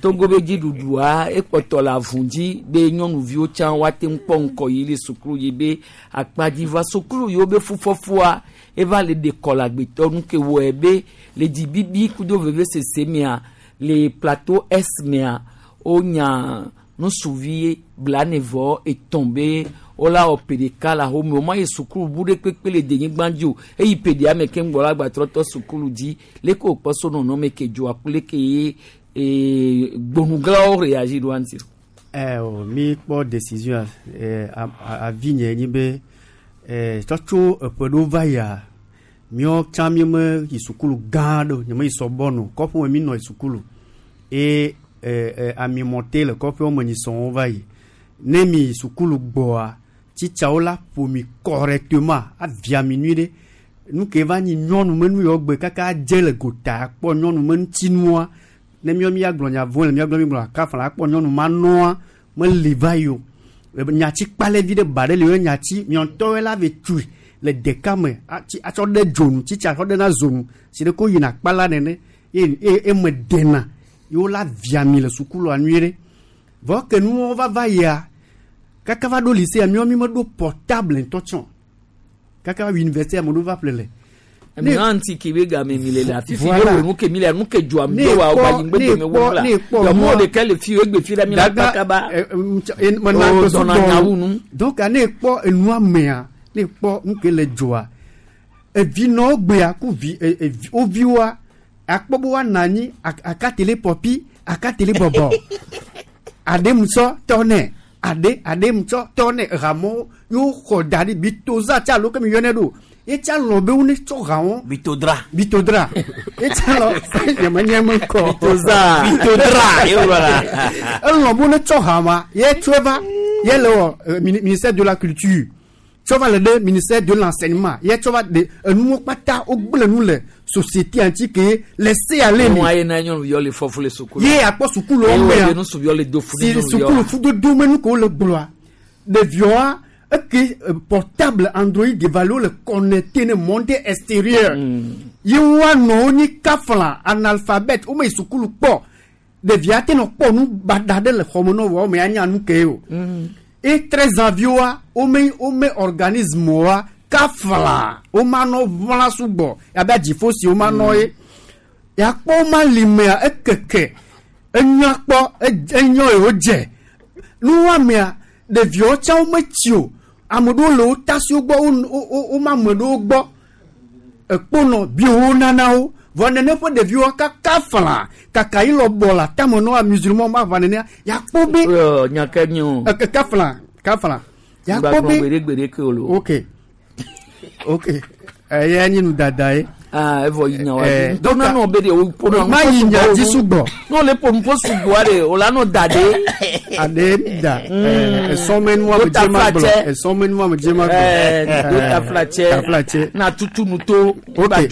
Togo be dziɖuɖua ekpɔtɔ le avu dzi be nyɔnuviwo tsã woate ŋu kpɔ ŋkɔ yi le sukulu yi be akpadzi va sukulu yiwo be fufɔfua eva le ɖe kɔ le agbetɔ nu ke wɔe be le dzibibi kudo vevesese mea le plateau S mea wonya nusuvi blanevɔ etɔ̃ be wola wɔ ƒe ɖeka le axome wo ma yi sukulu bu ɖe kpekpe le denyigba dzi o eyi ƒe ɖea me keŋ gbɔ la gbatrɔtɔ sukulu dzi leke wòkpɔ so nɔnɔme ke dzoa ku leke ye ee gbonuglawo réagir ɖo ŋuti. Ɛ o mi kpɔ décision ɛ avi nye nyi be ɛ tsɔtso eƒe ɖewo va yia míawo tsã mi me yi sukulu gã ɖe o nye me yi sɔbɔnu kɔƒe me mi nɔ yi sukulu eye ɛ ɛ amimɔte le kɔƒewo me nyi sɔŋwo va yi ne mi yi sukulu gbɔa tsitsawo la ƒo mi correctement avia mi nyui ɖe nu ke va nyi nyɔnu me nu yawo gbe kaka dze le gota akpɔ nyɔnu me ŋutinua ne míawo mi agblɔ nya vo le míagblɔ mi gblɔ akafa la akpɔ nyɔnu ma nɔa meli va yi o nyatsi kpalɛvi ɖe ba ɖe li wo nyatsi miɔntɔwoe la ve tui le ɖeka me atsi atsɔ ɖe dzonu tsitsa atsɔ ɖe na zonu si ɖe ko yina kpala nene ye ye eme dena yewo la via mi le sukulua nyuie ɖe vɔ ke nuwo va va yia kaka va ɖo lycée míawo mi meɖo portable ŋutɔ tsɔ kaka va université ame ɖewo va ƒle le. Mi hã ŋuti ke be game mi le le afi fi ne wo nu ke mi le nu ke dzɔa mi do wa wa yi ŋgbe dome wo la yɔmɔ ɖeka le fi egbe fi la mi la kpakaba o zɔna nyawu nu. Donc ne kpɔ enua mea ne kpɔ nu ke le dzɔa evinɔwo gbea ku vi evi wo viwoa akpɔ be woanɔ anyi akatele pɔpi akatele bɔbɔ aɖe musɔ tɔ nɛ aɖe aɖe musɔ tɔ nɛ hamewo yewo xɔ da ɖi bitoza tsa alo kemi yɔnɛ ɖo etsa lɔ be wo ne tsɔ hawo. Bitodra. Bitodra etsa lɔ nyame nye me kɔ. Bitoza. Bitodra ye wòlɔ la. Elɔ be wo ne tsɔ hama ye tsɔe va ye le wɔ ministère de la culture tsɔ va le ɖe ministère de l'enseignement ye tsɔ va de enuwo kpata wo gblẽ nu le société ŋuti ke le se ale mi. Nua ye na nyɔnuviwo le fɔfu le sukulu. Ye akpɔ sukuluwo mea. Ye nusuviwo le do fu ne nyɔnuviwo. Si sukulu fudodo me nu ko le gblɔa ɖeviwoa eke portable Android valo le connecté ne monde extérieur. Ye woanɔ wo nyi kafla analphabète wo me yi sukulu kpɔ ɖevia te nɔ kpɔ nu baɖa ɖe le xɔme nɔ wɔ me anya nu ke o. Et treize ans viwoa wo me wo me organisme woa kafla wo ma nɔ ʋla sugbɔ abe dziƒo si wo ma nɔ ye yakpɔ wo ma li mea ekeke enya kpɔ enyɔ yi wo dze nuwɔamea ɖeviwo tsã wo metsi o ame ɖewo le wo tasiwo gbɔ wo wo wo ma ame ɖewo gbɔ ekponɔ biwo nana wo vɔ nene ƒe ɖeviwo kaka fla kaka yi lɔbɔ le atame nɔ musulman ma va nenea yakpɔ be. nyake nyi o. kafla kafla yakpɔ be gbeɖegbeɖe ke o lo. Ok ok eya nyi nu dada ye. Aa evɔ yi nya wa di. Donc nanɔ be de o ƒo ma yi nya dzi sugbɔ. N'o le ƒo nuƒo sugbɔa de o la nɔ da de. Ade da esɔmɛnua me dze ma gblɔ esɔmɛnua me dze ma gblɔ. Do taflatsɛ taflatsɛ. Na tutu nu to. Ok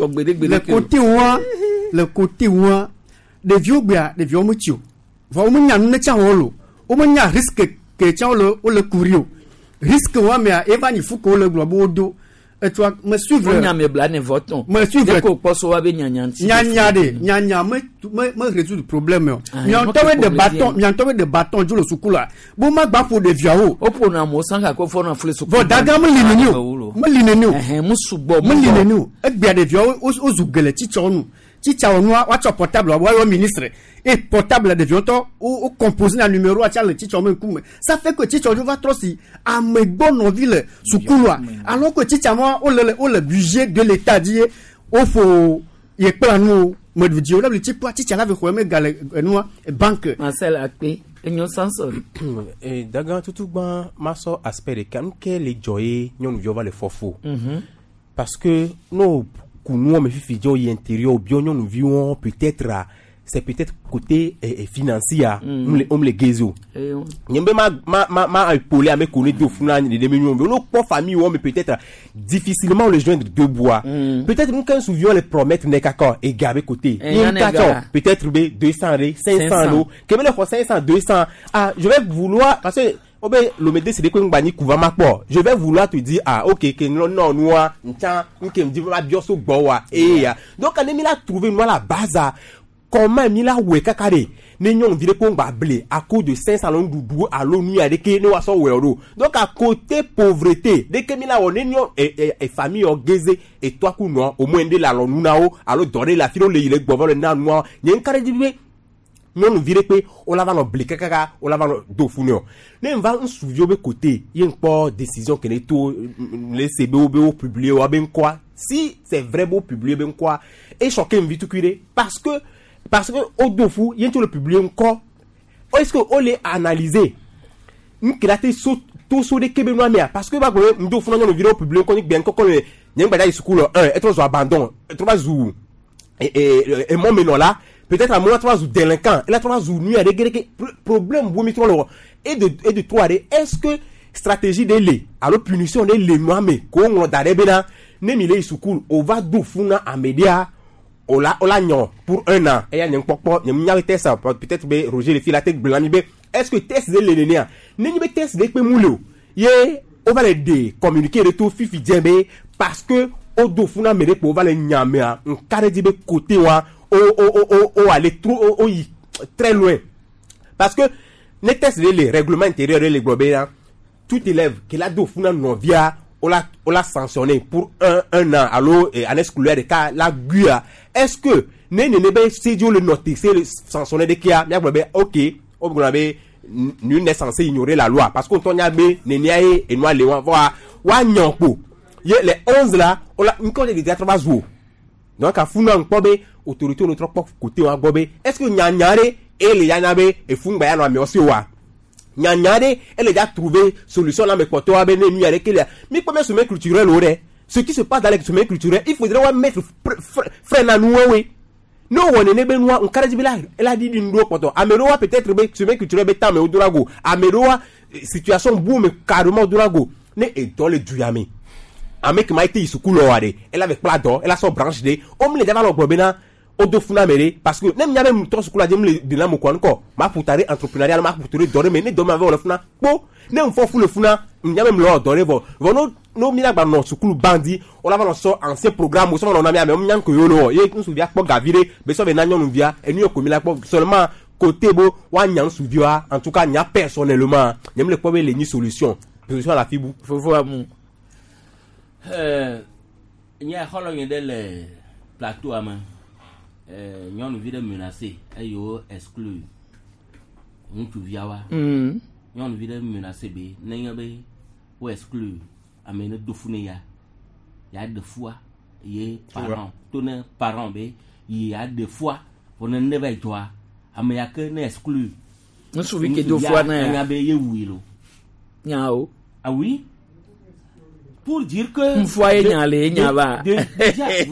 le côté wa le côté wa ɖeviwo gbea ɖeviwo metsi o vɔ wo menya nu ne tsã wɔ lo wo menya risque ke tsã wo le wo le kuri o risque wa mea eva nyi fu ke wo le gblɔ be wo do. Et tu vois, me suivre. Nyame bla ne voton. Me suivre. Ko poso wa be nyanya nti. Nyanya de, nyanya me me me résoudre problème. Mianto de bâton, mianto de bâton jo le sukula. Bo ma gba fo de viawo. O po na mo sanka ko fo na fle sukula. Bon daga me lineni o. Me lineni o. Eh mu sugbo Me lineni o. E gbe de viawo o zugele chicho nu. Chicha onu wa cho portable wa yo ministre. Et portable de viawo o composer na numéro a le chicho me kum. Ça fait que chicho va trop si a me bon ville sukula. Alors que chicha moi o le o le budget de l'état dit o faut y kpla nu me di o le chipo chicha la ve xo me gale nu banque. Marcel Akpe enyo Samson. Eh daga tutu gba maso aspect de kan ke le joye nyonu va le fofo. Parce que no kunu me fifi jo yi intérieur bio nyonu viwon peut-être c'est peut-être côté eh, eh, financier mm. on le on le gezo nyembe ma ma ma ma épaulé à me connaître do funa ni de millions no po famille mais peut-être difficilement le joindre deux bois mm. Peut-être nous quand souvions les promettre n'est qu'à et gaber côté peut-être deux cents cinq cents lo que me le cinq cents deux cents ah je vais vouloir parce que obe l'omede c'est de quoi ngani kuva makpo je vais vouloir te dire ah OK que non non noa ntan nke me dit va bio so gbowa eh donc on mi la trouver moi la base comment mi la we kakare ne nyon dire ko ngba blé à cause de cinq cents doudou à l'onu ya de ke ne wa so we ro donc à côté pauvreté de ke mi la won nyon et et famille orgazé et toi ku no au moins de la lo nuna o alo doré la filo le ile gbovo le na no nyen kare di be nyɔnu vi ɖe kpe wola va nɔ bli kakaka wola va nɔ do fu nɛ o ne va ŋutsuviwo be côté ye ŋkpɔ décision ke ne to le se be wo be wo publier wa be ŋkɔa si c'est vrai be wo publier be ŋkɔa e choqué ŋvi tukui ɖe parce que parce que wo do fu ye ŋutsu le publier ŋkɔ est-ce que wo le analyser ŋke la te so to so ɖe ke be nua mea parce que ba gblɔ be ŋdo fu na nyɔnuvi ɖe wo publier ŋkɔ ni gbe ŋkɔkɔ le nye ŋgba da yi suku lɔ un etrɔ zu abandon etrɔ va zu e e emɔ menɔ la. Peut-être à moi trois ou délinquant, et là trois ou nuit à des problème vous mettons le et de et de trois est-ce que stratégie de les alors punition de les moi mais qu'on d'arrêt ne mi les sukul on va dofuna à média on la on la nyon pour un an et y a un pop y a test peut-être be Roger le fil la tête blanc est-ce que test de les ne ni be test de pe moulou yé on va les dé communiquer de tout fifi djembe parce que au dofuna mede on va les nyamea on carré di be côté wa au au au au aller trop au au très loin parce que les tests les règlements intérieurs les globaux tout élève qui l'a dofuna non via on l'a on l'a sanctionné pour un un an allo et année scolaire de cas la guia est-ce que ne ne ne be c'est le noter c'est le sanctionné de qui a OK on be nul n'est censé ignorer la loi parce qu'on tonya be ne niaye et moi les wa wa nyanpo les onze là on l'a encore des trois jours donc à funa nkpobe autorité notre côté wa gbobe est-ce que nyanyare et les yanabe et fungba ya no me aussi wa nyanyare elle a déjà trouvé solution là mais porto wa be ne nu yare kele mi premier sommet culturel ore ce qui se passe dans les sommets culturels il faudrait wa mettre frein à nous oui no wone ne be nua nkare jibila elle a dit ndo porto amerowa peut-être be sommet culturel be tam e odorago amerowa situation boum carrément odorago ne et dans le duyame ame qui m'a été isukulu wa de elle avait plat d'or elle a son branche de o mi le dava lo gbobena odo funa mere parce que nem nyabe mto sukula jem le de la mo kwa nko ma putare entrepreneurial ma putare dore me ne do ma ve le funa po ne mfo fu le funa nyabe mlo dore vo vo no no mi la gba no sukulu bandi o la va no so ancien programme o so no na mi ame nyan ko yo lo ye nsu via kpo gavire be so be na nyonu via enu yo ko mi la kpo seulement côté bo wa nyan su via en tout cas nya personnellement nyam le kpo be le ni solution solution à la fibu fofo amu euh nya xolo nyi de le plateau ama euh nyɔnuvi ɖe menacé eye wo exclu ŋutsuviawoa nyɔnuvi ɖe menacé be nenye be wo exclu ame ne do fu ne ya ya ɖe fua ye parent to ne parent be ye ya ɖe fua vɔ ne ne va dzɔa ame ya ke ne exclu ŋutsuvi ke do fua na ya enya be ye wui lo nya o ah oui pour dire que nfua ye nya le nya va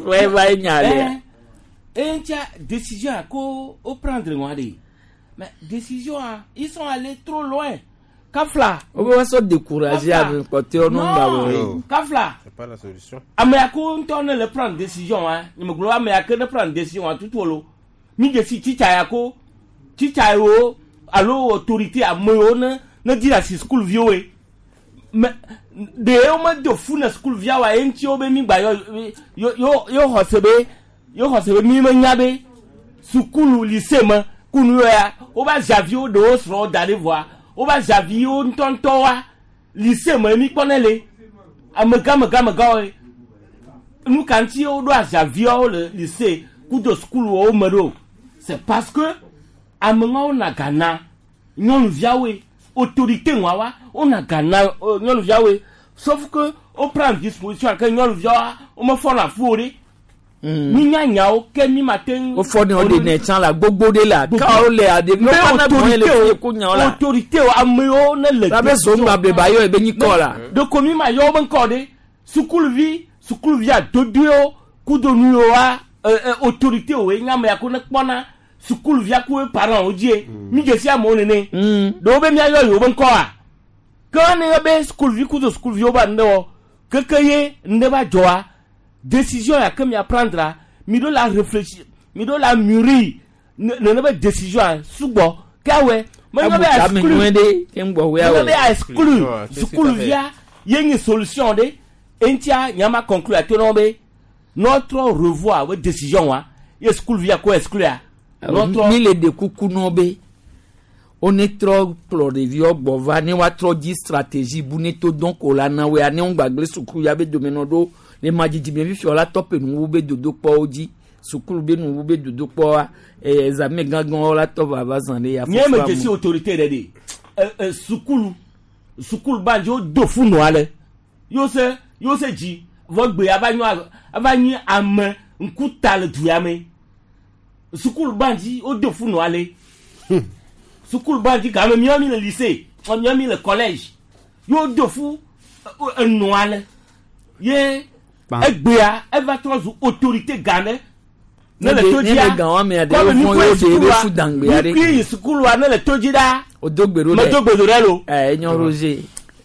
ouais va ye nya le et tia décision à ko au prendre moi de mais décision ils sont allés trop loin Kafla on va se décourager avec côté on va Kafla c'est pas la solution mais ko on le prendre décision hein ni me gloire mais que ne prendre décision à tout lo mi de si ticha ya ko ticha yo allo autorité a moyo ne ne dire à school vieux Me ɖewo medo fu na sukuviawo ye ŋuti wo be mi gba yɔ yo yo yo xɔ se be yo xɔ se be mi menya be sukulu lycée me kunu ya wo ba zaviwo ɖewo srɔ̃wo da ɖi vɔa wo ba zaviwo ŋutɔŋutɔ wa lycée me mi kpɔnɛ le amegã amegã amegãwo ye nu ka ŋuti woɖo azaviawo le lycée kudo sukuluwo me ɖo c'est parce que ameŋawo na gana nyɔnuviawoe autorité ŋua wa wona gana euh, nyɔnuviawoe sauf que wo prend disposition ke nyɔnuviawoa womefɔna fu o ɖe mi nya nyawo ke mi ma te ŋu. Wofɔ ne wo ɖe nɛ tsã la gbogbo ɖe la kawo le aɖeviwo Mais kana bɔn le autorité fi ko nyawo la. autorité o amewo ne le. La be zongba bleba yɔ ebe nyikɔ la. Ɖeko mi ma yɔ wo be ŋkɔ ɖe sukuluvi sukuluvi adodoewo kudo nuyiwo wa ɛ ɛ autorité wo ye nye ame ya ko ne kpɔna sukuluvia ku ye parents wo dzie mi dze si amewo nene ɖewo be miayɔ yewo be ŋkɔa ke ne be sukuluvi kudo sukuluviwo ba ŋɖe wɔ keke ye ŋɖe va dzɔa décision ya ke mia prendre mi ɖo la réfléchir mi ɖo la mûrir ne nene be décision a sugbɔ ke awɔe menye be Abu tame nyuie ɖe ke ŋgbɔ woe menye awɔe. be exclure sukuluvia ye nye solution ɖe eŋutia nyama conclure ato na wo be notre revoir be décision wa ye sukuluvia ko exclure notre mi le ɖe kuku nɔ be wo ne trɔ kplɔ ɖeviwo gbɔ va ne woatrɔ dzi stratégie bu ne to dɔn ko la na woea ne wo gbagble sukulu ya be domenɔ ɖo le ma dzidzime fifia la tɔpe nuwu be dodokpɔwo dzi sukulu be nuwu be dodokpɔa eh, examen gãgãwo la tɔ va va zã ɖe ya nye me dzesi autorité ɖe ɖe ɛ ɛ sukulu sukulu badzi wo do fu nɔa le yewo se yewo se dzi vɔ gbe ava nyɔ ava nyi ame ŋkuta le du ya me sukulu badzi wo do fu nɔa le sukulu badzi game miawo mi le lycée ɔ miawo mi le collège yewo do fu ɛ, enɔa le ye egbea eva trɔ zu autorité gã ɖe ne le to Ne dzia le gã wɔmea ɖe kɔmi wofɔ mi kue yewo ɖe be sukulua fu dangbea mi ɖe. kue yi sukulua ne le to dzi ɖa o do gbe ɖo ɖe. medo gbe do ɖe lo. Ɛ enyo Roger.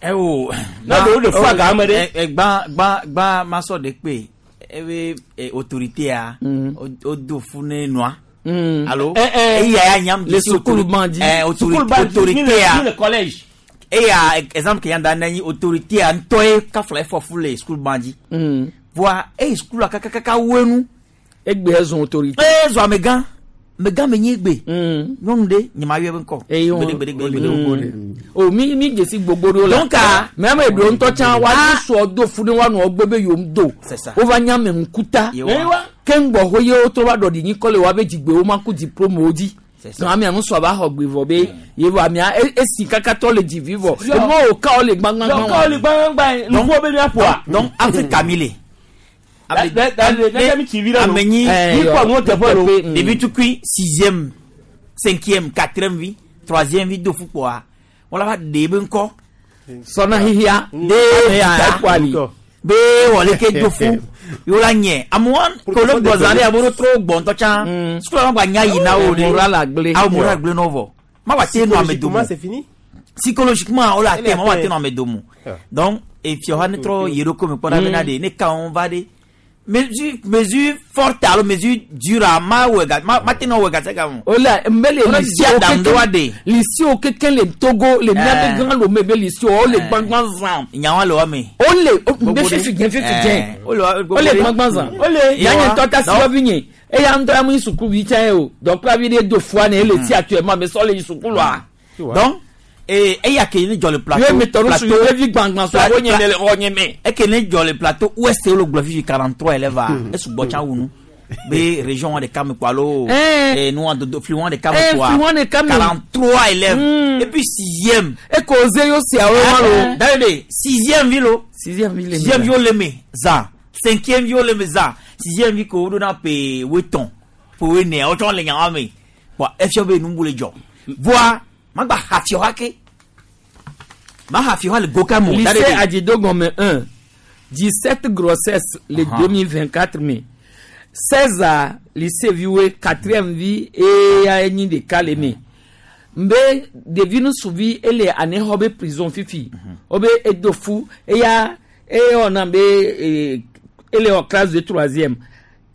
Ewo. Ne ɖewo ɖe fu aga me ɖe. Gbã gbã gbã masɔ de kpe ebe eh, autorité a o o do fu ne nua. Alo Eh, eh. eya ya nyam Le sukulu ban dzi. Eh Sukulu autorité ban dzi, mi le- autorité a. mi le collège. Eya exemple ke yan da ne nyi autorité a ŋutɔ ye kafla efɔ fu le sukulu ban dzi. Voa eyi sukulu kakakaka wenu. Egbe ezɔn autorité. Ee zɔ amegã amegã me nyi egbe. Nyɔnu ɖe nye ma yɔ ebe ŋkɔ. Eyi wɔn Gbede gbede gbede gbede. O mi mi dzesi gbogbo ɖewo la. Donc, ah, mɛ ame ɖewo ŋutɔ tsã wa sɔ do fu ne wa nɔ gbe be yom do. C'est ça. Wova nye ame ŋkuta. Yewa. Ke ŋgbɔ ho ye wotrɔ va ɖɔɖi nyikɔ le wa be dzigbewo ma ku diplôme wo dzi. C'est ça. Donc amea nusɔ va xɔ gbe vɔ be ye vɔ amea e- esi kaka tɔ le dzivi vɔ. Yɔ. Emɔ wo kawo le gbagbagba Yɔ, kawo le gbagbagba ye, nuƒo be míaƒoa. Donc Afrika mi le. Da- da- da- da- mi tsi vi ɖe lo. Amenyi Mi kpɔ nuwo teƒe lo. Ɖevi tukui sixième cinquième quatrième vi troisième vi do fukpɔa wọ́n la va ɖe ebe ŋkɔ. Sɔna hihia. De Ame ta be wɔle ke do fu yewo la nyɛ amewo kolo gbɔzã ɖe amewo trɔ gbɔ ŋutɔ tsã sukula ma gba nya yi na wo ɖe Moral agblé. awo moral agblé nɔ vɔ ma wa te nɔ ame domo Psychologiquement, c'est fini. psychologiquement o la Elle te est ma wa te atteinte. nɔ ame domo Ah. donc efiɔ ha ne trɔ yi ɖo ko me kpɔ ɖa bena ɖe ne ka wɔn va ɖe mesure mesure forte alo mesure dure a ma wɔ ga ma ma te nɔ wɔ gase ga mo. O la mbele Wọ́n lycée di adamu ɖe wa ɖe. lycée o keke le Togo le miabe Eh. gã lome be lycée o le gbagba zã. Nyawa le wa me. O le o- Gbogbo mbe ɖe. fifi jɛ fifi Eh, jɛ. o le wa- O gbogbo le ɖe. gbagba zã. O le. Ya nye ŋutɔ ta si Donc- wɔvi nye eya ŋutɔ ya mu yi sukuvi tsã ye o dɔkplavi ɖe do fua ne ele si actuellement mais sɔ le yi sukulua. Donc ee eya ke ne jɔ le plateau. Ye me tɔ ɖo su yevi gbangban so awo nye le xɔ nye me. Eke ne jɔ le plateau ouest wo le gblɔ fifi quarante trois élèves a esugbɔ tsã wu nu be région wa ɖeka me kɔ alo Eh. eh, nu wa dodo fli wa ɖeka me Eh, kɔa fli wa ɖeka me. quarante trois élèves et puis sixième. Eko ze yo siawo ma lo. David sixième vi lo. Sixième vi le me. Sixième vi wo le me za cinquième vi wo le me za sixième vi ko wo ɖo na pe wetɔn pe wene wo tsɔ le nyawa me bɔn efia be nubu le dzɔ voa magba hafiɔ ha ke ma hafiɔ ha le go ka mo. Lycée Adidogomé un, dix-sept grossesses le Ah. deux mille vingt-quatre mai. seize à lycée Viwe, quatrième vie et à Enyi de Kaleme. Mbe ɖevi nusuvi ele ane xɔ be prison fifi. Wobe edo fu eya eyɔna be eh, ele wɔ classe de troisième.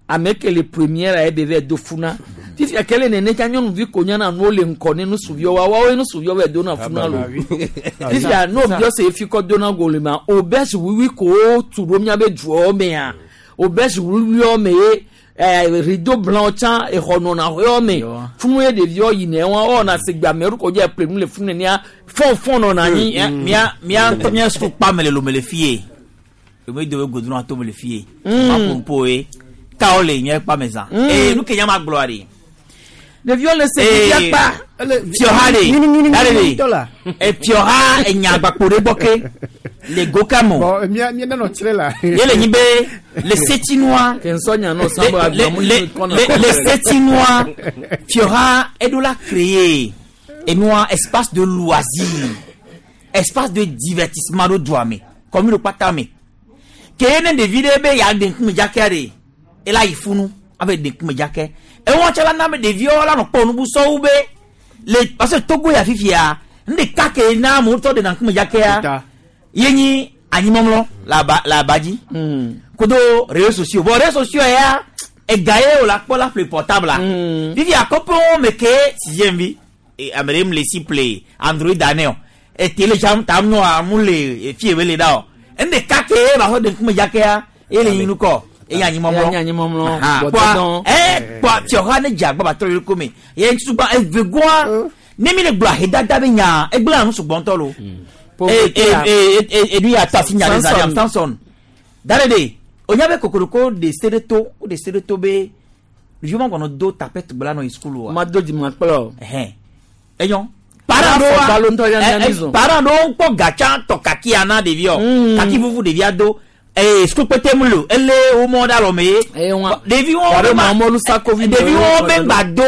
Ame ke le première ebe vɛ do fu na. Fifia kele nene tsa nyɔnuvi ko nyana nuwo le ŋkɔ ne nusuviwo wa woawoe nusuviwo va dona funa lo. Fifia n'o biɔ se efi kɔ dona go le ma auberge wiwi ko tu ɖo miabe duawo mea auberge wiwiwo me ye eh, rideau blanc tsã exɔ nɔna xɔa me funu ye ɖeviwo yina wa wɔna segbe amewo ko dze ple nu le funu nenia fɔnfɔn nɔna anyi. Mia mia mia ŋutɔ mia suku kpa me le lome le fie. Eme do be godron ato me le fie. Mm. Ma pompo ye. Kawo le mia kpa me zã. Mm. Ee nu ke nya ma gblɔa ɖe. Ɖeviwo le se fifia kpa. Fiɔha de. Dale de. E fiɔha enya gbakpo ɖe gbɔ ke. Le go kamo. Bon, mia mia nanɔ tsrɛ la. Ye le nyi be le setinua. Kensɔ nya nɔ sanbɔ Le agbamu le le le setinua. Fiɔha eɖo la créer enua espace de loisir, espace de divertissement ɖo dua me, commune kpata me. Ke ne ɖevi ɖe be ya ɖe ŋkume dzakea ɖe, ela yi funu abe ɖe ŋkume dzake. Ewɔn tse la na be ɖeviwo la nɔ kpɔ nubu sɔwu be le parce que Togo ya fifia, nu ɖeka ke na amewo tɔ ɖena ŋkume dzakea, ye nyi anyimɔmlɔ le aba le aba dzi. Kudo réseaux sociaux. Bon réseaux sociaux ya ega ye o la kpɔ la ƒle portable la. Fifia kɔƒewo me ke sixième vi e ame ɖe mu le si ple Android ane o. E télé tsam tam nɔa mu le fie be le da o. Nu ɖeka ke ba xɔ ɖe ŋkume dzakea ye le nyi nukɔ eye anyimɔmlɔ. Ye nye anyimɔmlɔ, Aha. gbɔdɔdɔ. Kpɔa ɛ kpɔa fiɔha ne dze agba ba trɔ yi ɖokui me. Ye ŋutsu evegoa ne mi le gblɔ ahedada be nya egblẽ nu sugbɔ ŋutɔ lo. E e e e enu ya tɔ asi nya ɖe zã ɖe Samson. Dale de onya be kokoroko de se ɖe to o de se ɖe to be ɖeviwo ma gbɔnɔ do tapete gblɔ anɔ yi sukulu wa. Ma do dzima kplɔ. Ɛhɛn enyɔ. Parent Parent ɖewo balo ŋutɔ ya ɖewoa mia ɛ ɛ mi zɔn. parent ɖewo kpɔ gatsa tɔ kakia na ɖeviɔ. Kaki vuvu ɖevia do. Ee sukulu kpete mu lo ele wo mɔ ɖe alɔme ye. Ɖeviwo Wà be ɖe ma mamɔlu sakovi ɖeviwo be ŋgba do